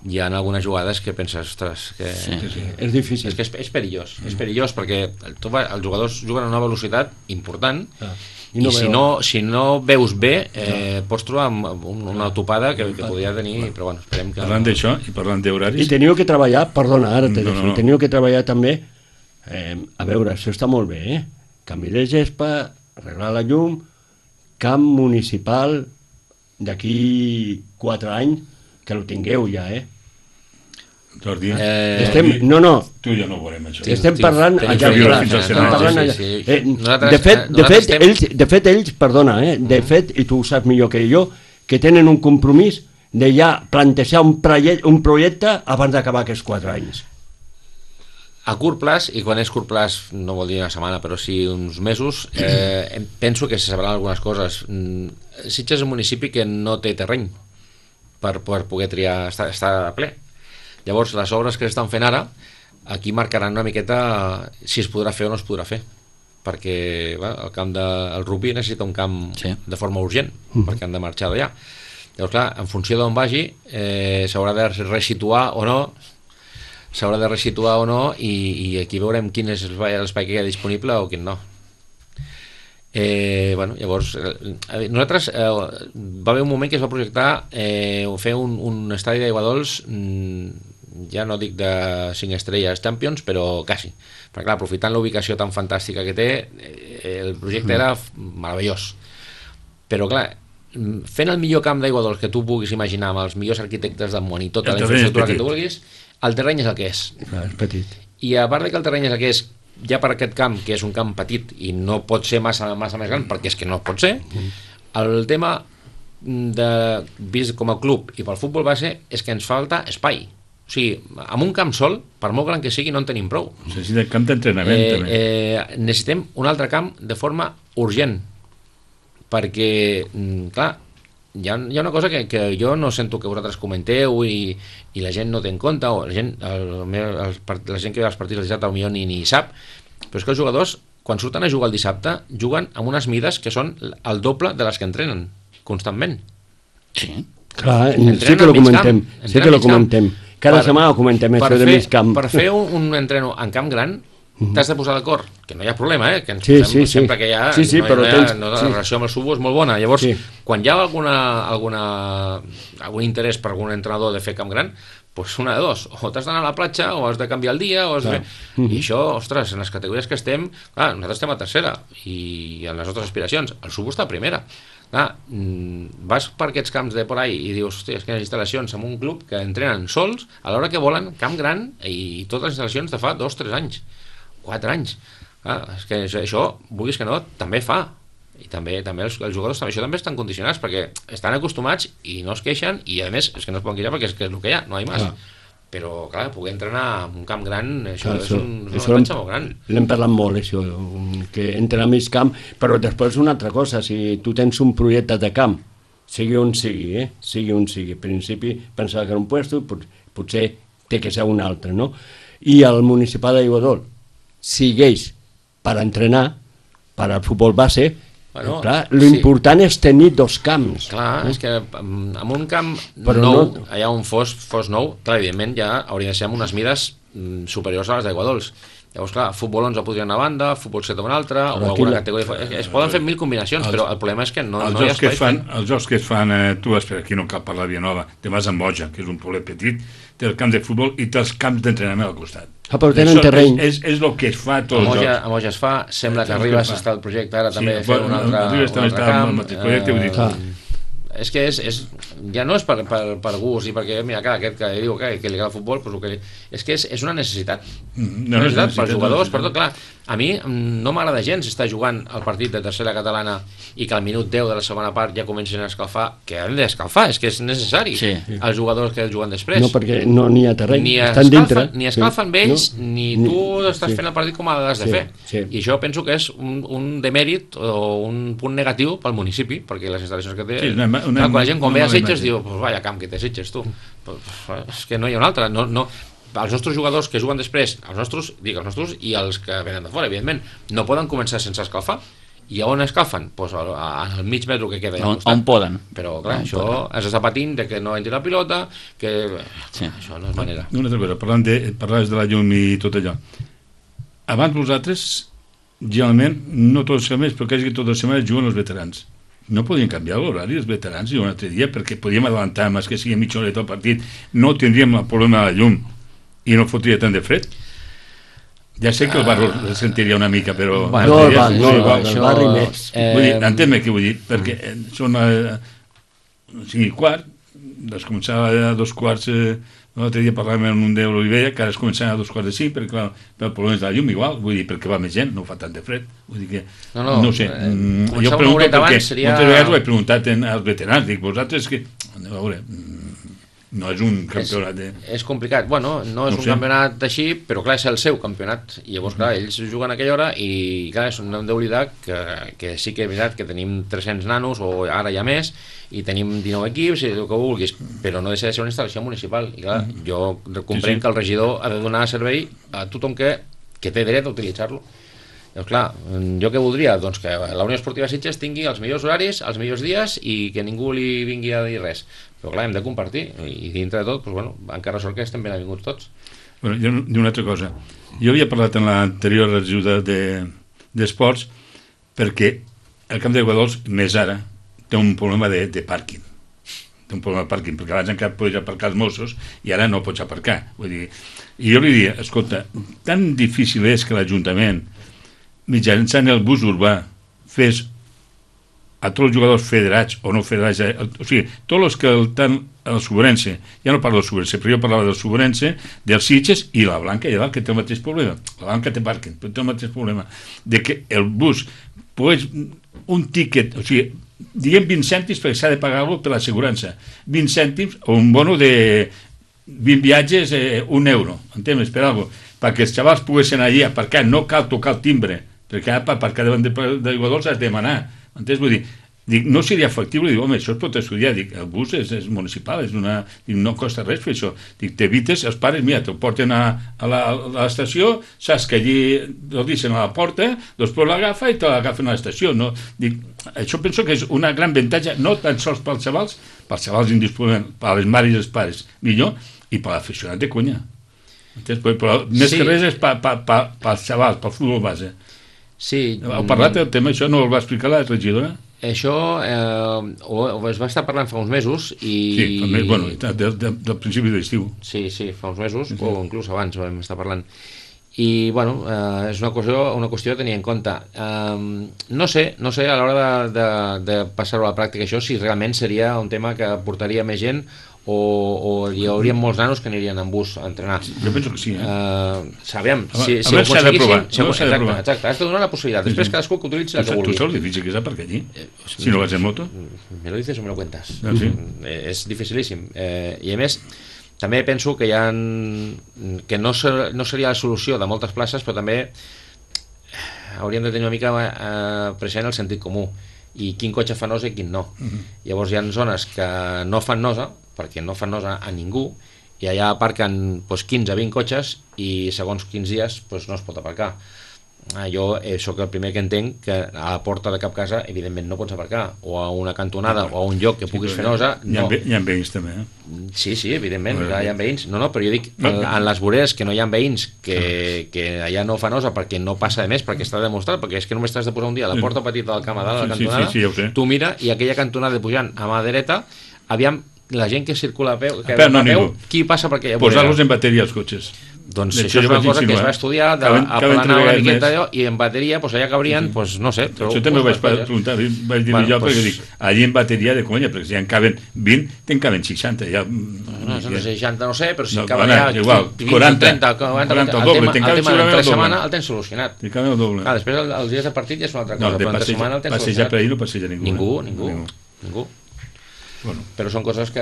[SPEAKER 4] hi ha algunes jugades que penses, ostres, que...
[SPEAKER 1] Sí.
[SPEAKER 3] Sí, sí.
[SPEAKER 2] És difícil.
[SPEAKER 4] És que és, és perillós, és perillós perquè el, tu, va- els jugadors juguen a una velocitat important
[SPEAKER 2] Ah,
[SPEAKER 4] i,
[SPEAKER 2] no
[SPEAKER 4] si,
[SPEAKER 2] veu.
[SPEAKER 4] no, si no veus bé eh, pots trobar amb, amb un- una topada que, que podria tenir, però bueno, esperem que...
[SPEAKER 3] Parlant d'això i parlant
[SPEAKER 2] I
[SPEAKER 3] d'horaris...
[SPEAKER 2] teniu que treballar, perdona, ara te
[SPEAKER 3] No,
[SPEAKER 2] deixo,
[SPEAKER 3] no, no.
[SPEAKER 2] teniu que treballar també, eh, a veure, això està molt bé, eh? Canvi de gespa, arreglar la llum, camp municipal d'aquí quatre anys, que lo tingueu ja, eh?
[SPEAKER 3] Jordi,
[SPEAKER 4] Eh,
[SPEAKER 2] Estem, no, no,
[SPEAKER 3] tu i jo no ho veurem, això.
[SPEAKER 4] Sí,
[SPEAKER 2] estem
[SPEAKER 4] sí,
[SPEAKER 2] parlant
[SPEAKER 4] tenim
[SPEAKER 2] allà,
[SPEAKER 3] que viure
[SPEAKER 2] clar,
[SPEAKER 3] fins al
[SPEAKER 2] estem
[SPEAKER 3] senar.
[SPEAKER 2] parlant
[SPEAKER 4] Sí,
[SPEAKER 2] allà.
[SPEAKER 4] sí, sí.
[SPEAKER 2] Eh,
[SPEAKER 4] Nosaltres-
[SPEAKER 2] de fet,
[SPEAKER 4] eh,
[SPEAKER 2] de
[SPEAKER 4] nosaltres
[SPEAKER 2] fet,
[SPEAKER 4] estem-
[SPEAKER 2] ells, de fet, ells, perdona, eh, de fet, i tu ho saps millor que jo, que tenen un compromís de ja plantejar un, proiecte, un projecte abans d'acabar aquests quatre anys.
[SPEAKER 4] A curt plaç, i quan és curt plaç no vol dir una setmana, però sí uns mesos, eh, em- penso que se sabran algunes coses. Mm, Sitges és un municipi que no té terreny per, per poder triar, estar, estar a ple. Llavors, les obres que s'estan fent ara, aquí marcaran una miqueta si es podrà fer o no es podrà fer, perquè va, el camp de, el rugby necessita un camp
[SPEAKER 1] Sí.
[SPEAKER 4] de forma urgent, perquè han de marxar d'allà. Llavors, clar, en funció d'on vagi, eh, s'haurà de resituar o no, s'haurà de resituar o no, i, i aquí veurem quin és l'espai l'espai que hi ha disponible o quin no. Eh, bueno, llavors, eh, nosaltres eh, va haver un moment que es va projectar eh, fer un, un estadi d'aigua dolç, mm, ja no dic de cinc estrelles Champions, però quasi. Perquè clar, aprofitant la ubicació tan fantàstica que té, eh, el projecte era meravellós. Però clar, mm, fent el millor camp d'aigua dolç que tu puguis imaginar, amb els millors arquitectes del món i tota
[SPEAKER 3] El
[SPEAKER 4] la
[SPEAKER 3] terreny és
[SPEAKER 4] infraestructura que
[SPEAKER 3] petit.
[SPEAKER 4] tu vulguis, el terreny és el que és.
[SPEAKER 2] Clar, és petit.
[SPEAKER 4] I a part de que el terreny és el que és, ja per aquest camp, que és un camp petit i no pot ser massa, massa més gran, perquè és que no pot ser, el tema de, vist com a club i pel futbol base, és que ens falta espai. O sigui, amb un camp sol, per molt gran que sigui, no en tenim prou.
[SPEAKER 3] Necessita camp d'entrenament,
[SPEAKER 4] Eh,
[SPEAKER 3] també.
[SPEAKER 4] eh, necessitem un altre camp de forma urgent, perquè, mm, clar, hi ha, hi ha una cosa que, que jo no sento que vosaltres comenteu i, i la gent no té en compte, o la gent, el, el, el, la gent que ve als partits del dissabte potser ni, ni sap, però és que els jugadors, quan surten a jugar el dissabte, juguen amb unes mides que són el doble de les que entrenen constantment.
[SPEAKER 1] Sí.
[SPEAKER 2] Clar,
[SPEAKER 4] Entrenen
[SPEAKER 2] sí que
[SPEAKER 4] al
[SPEAKER 2] lo
[SPEAKER 4] mig
[SPEAKER 2] comentem,
[SPEAKER 4] camp,
[SPEAKER 2] sí que
[SPEAKER 4] entrenen
[SPEAKER 2] lo
[SPEAKER 4] al mig camp.
[SPEAKER 2] comentem. Cada
[SPEAKER 4] Per-
[SPEAKER 2] setmana ho comentem,
[SPEAKER 4] per
[SPEAKER 2] això de
[SPEAKER 4] fer-
[SPEAKER 2] mig camp.
[SPEAKER 4] Per fer un, un entreno en camp gran, t'has de posar d'acord, que no hi ha problema, eh? Que ens
[SPEAKER 2] Sí,
[SPEAKER 4] posem
[SPEAKER 2] sí, sí.
[SPEAKER 4] sempre que hi ha,
[SPEAKER 2] Sí, sí,
[SPEAKER 4] no, hi-
[SPEAKER 2] però
[SPEAKER 4] no hi ha,
[SPEAKER 2] tens-
[SPEAKER 4] no, la
[SPEAKER 2] sí.
[SPEAKER 4] relació amb el subo és molt bona. Llavors,
[SPEAKER 2] Sí.
[SPEAKER 4] quan hi ha alguna, alguna, algun interès per algun entrenador de fer camp gran, doncs una de dos, o t'has d'anar a la platja, o has de canviar el dia, o has de
[SPEAKER 2] Clar.
[SPEAKER 4] fer... I això, ostres, en les categories que estem, clar, nosaltres estem a tercera, i en les nostres aspiracions, el subo està a primera. Clar, mm, vas per aquests camps de por ahí i dius, hòstia, és que hi ha instal·lacions en un club que entrenen sols a l'hora que volen, camp gran, i totes les instal·lacions de fa dos, tres anys, quatre anys. Ah, és que això, això, vulguis que no, també fa I també també els, els jugadors també, això també estan condicionats perquè estan acostumats i no es queixen i a més és que no es poden queixar perquè és, que és el que hi ha, no hi ha més. Ah. Però clar, poder entrenar en un camp gran, això clar, és, un, és una avantatge molt gran.
[SPEAKER 2] L'hem parlat molt, això, que entrenar a mig camp, però després una altra cosa, si tu tens un projecte de camp, sigui on sigui, eh? sigui on sigui, en principi pensava que era un puesto, pot, potser té que ser un altre, no? I el municipal d'Aiguadols segueix per entrenar, per al futbol base. Bueno, clar, l'important sí. és tenir dos camps.
[SPEAKER 4] Clar, eh? és que en un camp però nou, no... allà on fos, fos nou, clar, evidentment ja hauria de ser amb unes mides superiors a les d'Aiguadols. Llavors, clar, futbol onze podria anar a banda, futbol set a una altra, però o alguna la... categoria... Es poden fer mil combinacions, els, però el problema és que no, no hi ha espai.
[SPEAKER 3] Fan, els jocs que es fan, eh, tu espera, aquí no cal parlar de Vilanova, te vas a Moja, que és un poblet petit, té el camp de futbol i té els camps d'entrenament al costat.
[SPEAKER 2] Ah, però tenen terreny.
[SPEAKER 3] És, és, és el que es fa a tots els jocs.
[SPEAKER 4] A Moja es fa, sembla que Ribas està el projecte ara també sí, fer un altre,
[SPEAKER 3] Ribas també està
[SPEAKER 4] camp.
[SPEAKER 3] El mateix projecte, eh, vull dir.
[SPEAKER 4] Ah. És que és, és, ja no és per, per, per gust i perquè, mira, clar, aquest que diu que, que li agrada el futbol, pues, que, és que és, és una necessitat.
[SPEAKER 3] Mm,
[SPEAKER 4] no, una necessitat per jugadors, per tot, clar. A mi no m'agrada gens estar jugant el partit de tercera catalana i que al minut deu de la segona part ja comencen a escalfar, que hem d'escalfar, és que és necessari.
[SPEAKER 1] Sí.
[SPEAKER 4] Els jugadors que juguen després.
[SPEAKER 2] No, perquè no n'hi ha terreny,
[SPEAKER 4] ni
[SPEAKER 2] estan dintre.
[SPEAKER 4] Ni escalfen sí. ells, no? ni tu ni, estàs sí. fent el partit com l'has de
[SPEAKER 2] sí,
[SPEAKER 4] fer.
[SPEAKER 2] Sí.
[SPEAKER 4] I això penso que és un, un demèrit o un punt negatiu pel municipi, perquè les instal·lacions que té...
[SPEAKER 3] Sí, una, una,
[SPEAKER 4] clar, quan la gent quan ve a Sitges diu, pues vaya camp que té Sitges, tu. Pues, és que no hi ha un altre. No, no, els nostres jugadors que juguen després, els nostres, dic els nostres i els que venen de fora, evidentment, no poden començar sense escalfar. I on escalfen? Pues al, al mig metro que queda.
[SPEAKER 1] On, on poden.
[SPEAKER 4] Però clar,
[SPEAKER 1] on
[SPEAKER 4] això
[SPEAKER 1] poden.
[SPEAKER 4] has d'estar patint de que no entri la pilota, que sí. això no és manera.
[SPEAKER 3] Una altra cosa, parlant de, parlaves de la llum i tot allò. Abans vosaltres, generalment, no totes les setmanes, però quasi totes les setmanes juguen els veterans. No podien canviar l'horari els veterans i un altre dia perquè podíem adelantar més que sigui mitja horeta el partit, no tindríem el problema de la llum i no fotria tant de fred. Ja sé que el barri uh, sentiria una mica, però...
[SPEAKER 2] Bueno, no, va, no, no, el barri més.
[SPEAKER 3] Eh, vull dir, entén-me què vull dir, perquè són a cinc i quart, es començava a dos quarts... Eh, l'altre dia parlàvem amb un de l'Olivella, que ara es començaven a dos quarts de cinc, perquè clar, pel problema de la llum igual, vull dir, perquè va més gent, no fa tant de fred, vull dir que... No, no, no sé, eh, jo pregunto perquè seria... moltes vegades ho he preguntat en, als veterans, dic, vosaltres que... A veure, no és un campionat de...
[SPEAKER 4] És, és complicat, bueno, no és no un sé. campionat així, però clar, és el seu campionat, i llavors clar, ells juguen a aquella hora i clar, no hem d'oblidar que, que sí que és veritat que tenim tres-cents nanos, o ara hi ha més, i tenim dinou equips i el que vulguis, però no deixa de ser una instal·lació municipal i clar, mm-hmm. jo comprenc sí, sí. que el regidor ha de donar servei a tothom que, que té dret a utilitzar-lo. Llavors clar, jo què voldria? Doncs que la Unió Esportiva Sitges tingui els millors horaris, els millors dies i que ningú li vingui a dir res, però clar, hem de compartir i dintre de tot, doncs, bueno, encara sort que estem ben avinguts tots.
[SPEAKER 3] Bueno, jo una altra cosa, jo havia parlat en l'anterior ajuda d'esports de, perquè el camp d'Aiguadols més ara té un problema de, de pàrquing. Té un problema de pàrquing, perquè abans encara podies aparcar els Mossos i ara no pots aparcar. Vull dir, i jo li diria, escolta, tan difícil és que l'Ajuntament, mitjançant el bus urbà, fes a tots els jugadors federats o no federats, o sigui, tots els que estan al Sobrense, ja no parlo del Sobrense, però jo parlava del Sobrense, dels Sitges i la Blanca, i que té el mateix problema. La Blanca té pàrquing, però té el mateix problema, de que el bus, pues, un tiquet, o sigui, diguem vint cèntims perquè s'ha de pagar-lo per l'assegurança, vint cèntims o un bono de vint viatges, eh, un euro, entens? Per alguna cosa, perquè els xavals poguessin allí aparcar, no cal tocar el timbre, perquè per aparcar davant d'Aiguadols has de demanar, entens? Vull dir, dic, no seria factible, dic, home, això es pot estudiar, dic, el bus és, és municipal, és una, dic, no costa res fer això, dic, t'evites, els pares, mira, te'l porten a, a l'estació, saps que allí el deixen a la porta, després l'agafa i te l'agafen a l'estació, no? Dic, això penso que és una gran avantatge, no tan sols pels xavals, pels xavals indisponents, per les mares i els pares, millor, i per l'aficionat de conya. Entens? Però més sí. que res és pels pa, pa, pa, xavals, pel futbol base.
[SPEAKER 4] Sí.
[SPEAKER 3] Heu parlat del tema, això no el va explicar la regidora?
[SPEAKER 4] Això eh, o, o es va estar parlant fa uns mesos i...
[SPEAKER 3] Sí, fa més, bueno, del, del, del principi de l'estiu.
[SPEAKER 4] Sí, sí, fa uns mesos, sí, sí. O inclús abans vam estar parlant. I, bueno, eh, és una qüestió, una qüestió a tenir en compte. Eh, no sé, no sé a l'hora de, de, de passar-ho a la pràctica això, si realment seria un tema que portaria més gent o, o hi haurien molts nanos que anirien en bus a entrenar.
[SPEAKER 3] Jo penso que sí, eh?
[SPEAKER 4] Uh, sabem,
[SPEAKER 3] A
[SPEAKER 4] si,
[SPEAKER 3] veure,
[SPEAKER 4] si ho
[SPEAKER 3] s'ha de provar,
[SPEAKER 4] aconseguissin... Si ho,
[SPEAKER 3] a veure, s'ha de
[SPEAKER 4] exacte,
[SPEAKER 3] provar.
[SPEAKER 4] exacte, has de donar la possibilitat. Després cadascú que utilitzi la que
[SPEAKER 3] Tu
[SPEAKER 4] vulgui.
[SPEAKER 3] saps lo difícil que és aparcar allí? Si no vas en moto?
[SPEAKER 4] Me lo dices o me lo cuentas.
[SPEAKER 3] Ah, sí?
[SPEAKER 4] Eh, és dificilíssim. Eh, I a més, també penso que hi ha... que no, ser, no seria la solució de moltes places, però també hauríem de tenir una mica eh, present el sentit comú i quin cotxe fa nosa i quin no. Uh-huh. Llavors hi ha zones que no fan nosa, perquè no fan nosa a ningú, i allà aparquen doncs, quinze a vint cotxes i segons quins dies doncs, no es pot aparcar. Ah, jo eh, sóc el primer que entenc que a la porta de cap casa evidentment no pots aparcar, o a una cantonada o a un lloc que puguis sí, fer nosa
[SPEAKER 3] no.
[SPEAKER 4] Hi ha,
[SPEAKER 3] hi ha veïns també, eh?
[SPEAKER 4] Sí, sí, evidentment,
[SPEAKER 3] no,
[SPEAKER 4] clar, hi ha veïns. No, no, però jo dic, en, en les voreres que no hi ha veïns que, que allà no fa nosa perquè no passa de més, perquè està demostrat, perquè és que només t'has de posar un dia a la porta petita del camp a dalt, a la
[SPEAKER 3] sí,
[SPEAKER 4] cantonada,
[SPEAKER 3] sí, sí, sí, ja
[SPEAKER 4] tu mira, i aquella cantonada pujant a mà dreta, aviam, la gent que circula a peu, que
[SPEAKER 3] a peu, no,
[SPEAKER 4] a peu
[SPEAKER 3] ningú.
[SPEAKER 4] Qui passa per aquella vorera?
[SPEAKER 3] Posar-los en bateria als cotxes.
[SPEAKER 4] Doncs això és una cosa que es va estudiar, d'aplanar una miqueta allò, i en bateria, doncs allà cabrien, doncs no sé.
[SPEAKER 3] Això també ho vaig preguntar, vaig dir jo, perquè dic, allí en bateria de conya, perquè si en caben vint, te'n caben seixanta. Ja...
[SPEAKER 4] No, seixanta no sé, però si
[SPEAKER 3] no,
[SPEAKER 4] caben ja
[SPEAKER 3] igual, quaranta,
[SPEAKER 4] trenta, quaranta,
[SPEAKER 3] quaranta,
[SPEAKER 4] el
[SPEAKER 3] doble,
[SPEAKER 4] tema, el tema entre setmana el tens solucionat.
[SPEAKER 3] Te'n caben el doble.
[SPEAKER 4] Ah, després els dies de partit ja és una altra cosa,
[SPEAKER 3] no,
[SPEAKER 4] però entre setmana el tens solucionat.
[SPEAKER 3] Passejar per ahir no passeja ningú.
[SPEAKER 4] Ningú, ningú, ningú.
[SPEAKER 3] Bueno.
[SPEAKER 4] Però són coses que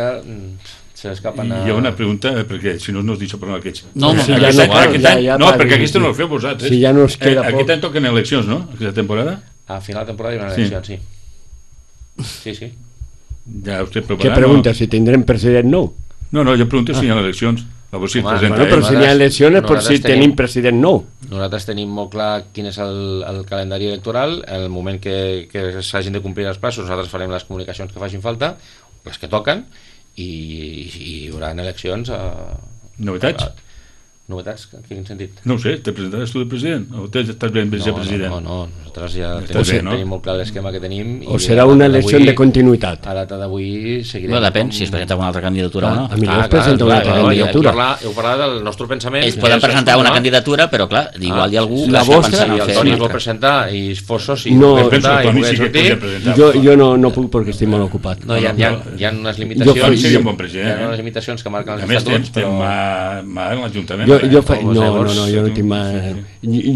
[SPEAKER 4] se l'escapen a...
[SPEAKER 3] I hi ha una pregunta, perquè si no no us deixo parlar aquests.
[SPEAKER 1] No, no,
[SPEAKER 2] sí, ja no,
[SPEAKER 3] aquest
[SPEAKER 2] ja,
[SPEAKER 3] any,
[SPEAKER 2] ja,
[SPEAKER 3] no
[SPEAKER 2] ja,
[SPEAKER 3] perquè
[SPEAKER 2] ja,
[SPEAKER 3] aquesta
[SPEAKER 2] sí.
[SPEAKER 3] no el feu vosaltres.
[SPEAKER 2] Si ja no us queda
[SPEAKER 3] eh,
[SPEAKER 2] poc.
[SPEAKER 3] Aquest any toquen eleccions, no? Aquesta temporada?
[SPEAKER 4] A final de temporada hi haurà
[SPEAKER 3] Sí.
[SPEAKER 4] eleccions, sí. Sí, sí.
[SPEAKER 3] Ja us té preparat.
[SPEAKER 2] Què pregunta? No? Si tindrem president nou?
[SPEAKER 3] No, no, jo pregunto si hi ha eleccions. A veure si es
[SPEAKER 4] Home,
[SPEAKER 3] presenta
[SPEAKER 2] Bueno, però
[SPEAKER 3] ell.
[SPEAKER 2] si hi ha eleccions és per si
[SPEAKER 4] Nosaltres
[SPEAKER 2] tenim
[SPEAKER 4] tenim-
[SPEAKER 2] president nou.
[SPEAKER 4] Nosaltres tenim molt clar quin és el, el calendari electoral. En el moment que, que s'hagin de complir els passos, nosaltres farem les comunicacions que facin falta, les que toquen, i, i hi haurà eleccions a,
[SPEAKER 3] Novetats?
[SPEAKER 4] a, novetats, en quin sentit?
[SPEAKER 3] No ho sé, te presentaràs tu de president? O te estàs ben de
[SPEAKER 4] No,
[SPEAKER 3] president?
[SPEAKER 4] no, no, nosaltres ja
[SPEAKER 3] Estàs
[SPEAKER 4] tenim,
[SPEAKER 3] bé, no?
[SPEAKER 4] tenim molt clar l'esquema que tenim.
[SPEAKER 2] O
[SPEAKER 4] i
[SPEAKER 2] serà
[SPEAKER 4] a
[SPEAKER 2] una
[SPEAKER 4] data
[SPEAKER 2] elecció
[SPEAKER 4] d'avui-
[SPEAKER 2] de continuïtat?
[SPEAKER 4] A data d'avui seguirem...
[SPEAKER 1] No, depèn
[SPEAKER 4] com-
[SPEAKER 1] si es presenta una altra candidatura o no.
[SPEAKER 2] A mi no es presenta una altra
[SPEAKER 4] clar,
[SPEAKER 2] candidatura.
[SPEAKER 4] Heu parlat, heu parlat del nostre pensament.
[SPEAKER 1] Ells poden
[SPEAKER 4] que és
[SPEAKER 1] presentar una
[SPEAKER 4] escoltar.
[SPEAKER 1] candidatura, però clar, igual hi ha algú
[SPEAKER 2] la
[SPEAKER 1] que està
[SPEAKER 2] vostra,
[SPEAKER 1] pensant
[SPEAKER 4] Si
[SPEAKER 1] en
[SPEAKER 4] el
[SPEAKER 1] fer
[SPEAKER 4] Toni
[SPEAKER 1] una
[SPEAKER 4] es vol
[SPEAKER 1] altra.
[SPEAKER 4] presentar i Fosso, si
[SPEAKER 2] No,
[SPEAKER 4] vol
[SPEAKER 3] Jo penso
[SPEAKER 4] presentar
[SPEAKER 3] que
[SPEAKER 4] i
[SPEAKER 3] Toni
[SPEAKER 4] poder
[SPEAKER 3] sí que
[SPEAKER 4] sortir...
[SPEAKER 3] podria presentar.
[SPEAKER 2] Jo, jo no, no puc perquè estic molt ocupat.
[SPEAKER 4] No, hi ha, hi ha, hi ha unes limitacions,
[SPEAKER 2] Jo faig-
[SPEAKER 3] seria un bon
[SPEAKER 4] hi
[SPEAKER 3] president,
[SPEAKER 4] ha unes
[SPEAKER 3] eh?
[SPEAKER 4] limitacions que marquen
[SPEAKER 3] A
[SPEAKER 4] els
[SPEAKER 3] més,
[SPEAKER 4] estatuts,
[SPEAKER 3] tens
[SPEAKER 4] però...
[SPEAKER 3] mà, mà en l'Ajuntament.
[SPEAKER 2] Jo, jo
[SPEAKER 3] eh?
[SPEAKER 2] faig, no, no, no, jo no tinc mà.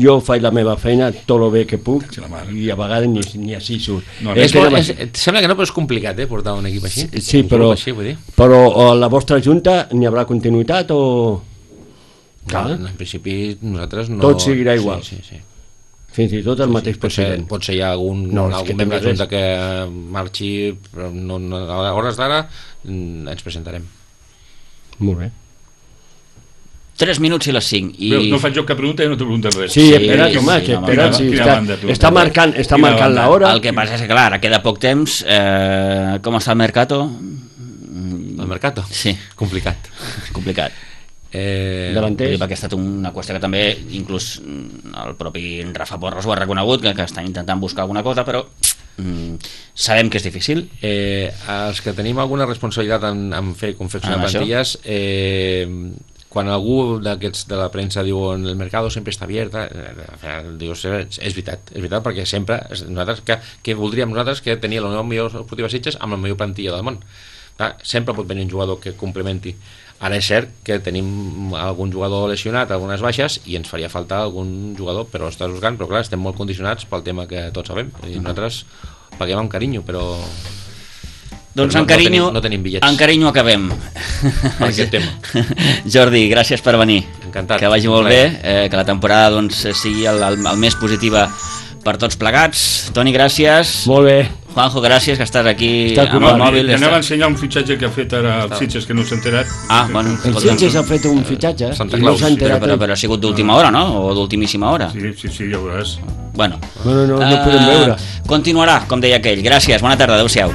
[SPEAKER 2] Jo faig la meva feina tot el bé que puc
[SPEAKER 3] Sí, la mare.
[SPEAKER 2] i a vegades ni, ni així surt.
[SPEAKER 3] No,
[SPEAKER 2] És
[SPEAKER 4] És,
[SPEAKER 2] que
[SPEAKER 4] molt,
[SPEAKER 2] no-
[SPEAKER 4] és, sembla que no, però és complicat, eh, portar un equip així.
[SPEAKER 2] Sí,
[SPEAKER 4] Un
[SPEAKER 2] però,
[SPEAKER 4] grup així, vull dir.
[SPEAKER 2] però a la vostra junta n'hi haurà continuïtat o...
[SPEAKER 4] No, en principi nosaltres no...
[SPEAKER 2] Tot seguirà igual.
[SPEAKER 4] Sí, sí, sí.
[SPEAKER 2] Fins i tot el mateix
[SPEAKER 4] Potser,
[SPEAKER 2] president.
[SPEAKER 4] potser hi ha algun,
[SPEAKER 2] No, és que
[SPEAKER 4] algun membre
[SPEAKER 2] també
[SPEAKER 4] de junta que marxi, però no, no, a hores d'ara mm, ens presentarem.
[SPEAKER 2] Molt bé.
[SPEAKER 1] tres minuts i les cinc. I...
[SPEAKER 3] Veus, no faig jo cap pregunta i no te preguntes res.
[SPEAKER 2] Sí,
[SPEAKER 1] Sí,
[SPEAKER 2] espera't,
[SPEAKER 1] sí,
[SPEAKER 2] home,
[SPEAKER 1] sí,
[SPEAKER 2] que
[SPEAKER 1] no,
[SPEAKER 2] espera't,
[SPEAKER 3] quina-
[SPEAKER 2] sí,
[SPEAKER 3] quina
[SPEAKER 2] està,
[SPEAKER 3] banda, tu.
[SPEAKER 2] està marcant, està
[SPEAKER 3] Quina
[SPEAKER 2] marcant
[SPEAKER 3] banda.
[SPEAKER 2] l'hora.
[SPEAKER 1] El que passa és que, clar, ara queda poc temps. Eh, com està el mercato?
[SPEAKER 4] El mercat?
[SPEAKER 1] Sí,
[SPEAKER 4] Complicat.
[SPEAKER 1] complicat.
[SPEAKER 4] Eh,
[SPEAKER 2] Davanters.
[SPEAKER 1] Vull dir, perquè ha estat una qüestió que també inclús mm, el propi Rafa Porras ho ha reconegut, que, que estan intentant buscar alguna cosa, però mm, sabem que és difícil.
[SPEAKER 4] Eh, els que tenim alguna responsabilitat en, en fer confeccionar
[SPEAKER 1] En això?
[SPEAKER 4] plantilles, eh, quan algú d'aquests de la premsa diu el mercat sempre està obert, eh, dius, és, és veritat, és veritat, perquè sempre nosaltres, que, que voldríem nosaltres que tenia la millor esportiva Sitges amb la millor plantilla del món. Clar, sempre pot venir un jugador que complementi. Ara és cert que tenim algun jugador lesionat, algunes baixes, i ens faria falta algun jugador, però estàs buscant, però clar, estem molt condicionats pel tema que tots sabem, i nosaltres paguem amb carinyo, però...
[SPEAKER 1] Doncs
[SPEAKER 4] però
[SPEAKER 1] en
[SPEAKER 4] no,
[SPEAKER 1] carinyo,
[SPEAKER 4] no tenim, no tenim bitllets.
[SPEAKER 1] en carinyo acabem.
[SPEAKER 4] Per aquest tema.
[SPEAKER 1] Jordi, gràcies per venir.
[SPEAKER 4] Encantat.
[SPEAKER 1] Que vagi molt
[SPEAKER 4] Un
[SPEAKER 1] bé,
[SPEAKER 4] plaer.
[SPEAKER 1] eh, que la temporada doncs, sigui el, el, el més positiva per tots plegats. Toni, gràcies.
[SPEAKER 2] Molt bé.
[SPEAKER 1] Juanjo, gràcies, que estàs aquí
[SPEAKER 2] Està
[SPEAKER 1] amb
[SPEAKER 3] No,
[SPEAKER 1] el mòbil.
[SPEAKER 3] i anava a
[SPEAKER 1] Està...
[SPEAKER 3] ensenyar un fitxatge que ha fet ara el Sitges, que no s'ha enterat.
[SPEAKER 1] Ah, bueno,
[SPEAKER 2] El
[SPEAKER 1] escolta,
[SPEAKER 2] Sitges ha fet un fitxatge
[SPEAKER 4] Santa
[SPEAKER 2] i no
[SPEAKER 4] Claus,
[SPEAKER 2] s'ha
[SPEAKER 1] però,
[SPEAKER 2] enterat.
[SPEAKER 1] però, però ha sigut d'última hora, no? O d'ultimíssima hora.
[SPEAKER 3] Sí, sí, sí, ja ho veuràs.
[SPEAKER 1] Bueno,
[SPEAKER 2] Bueno, no, no
[SPEAKER 1] Eh,
[SPEAKER 2] podem veure.
[SPEAKER 1] continuarà, com deia aquell. Gràcies, bona tarda, adeu-siau.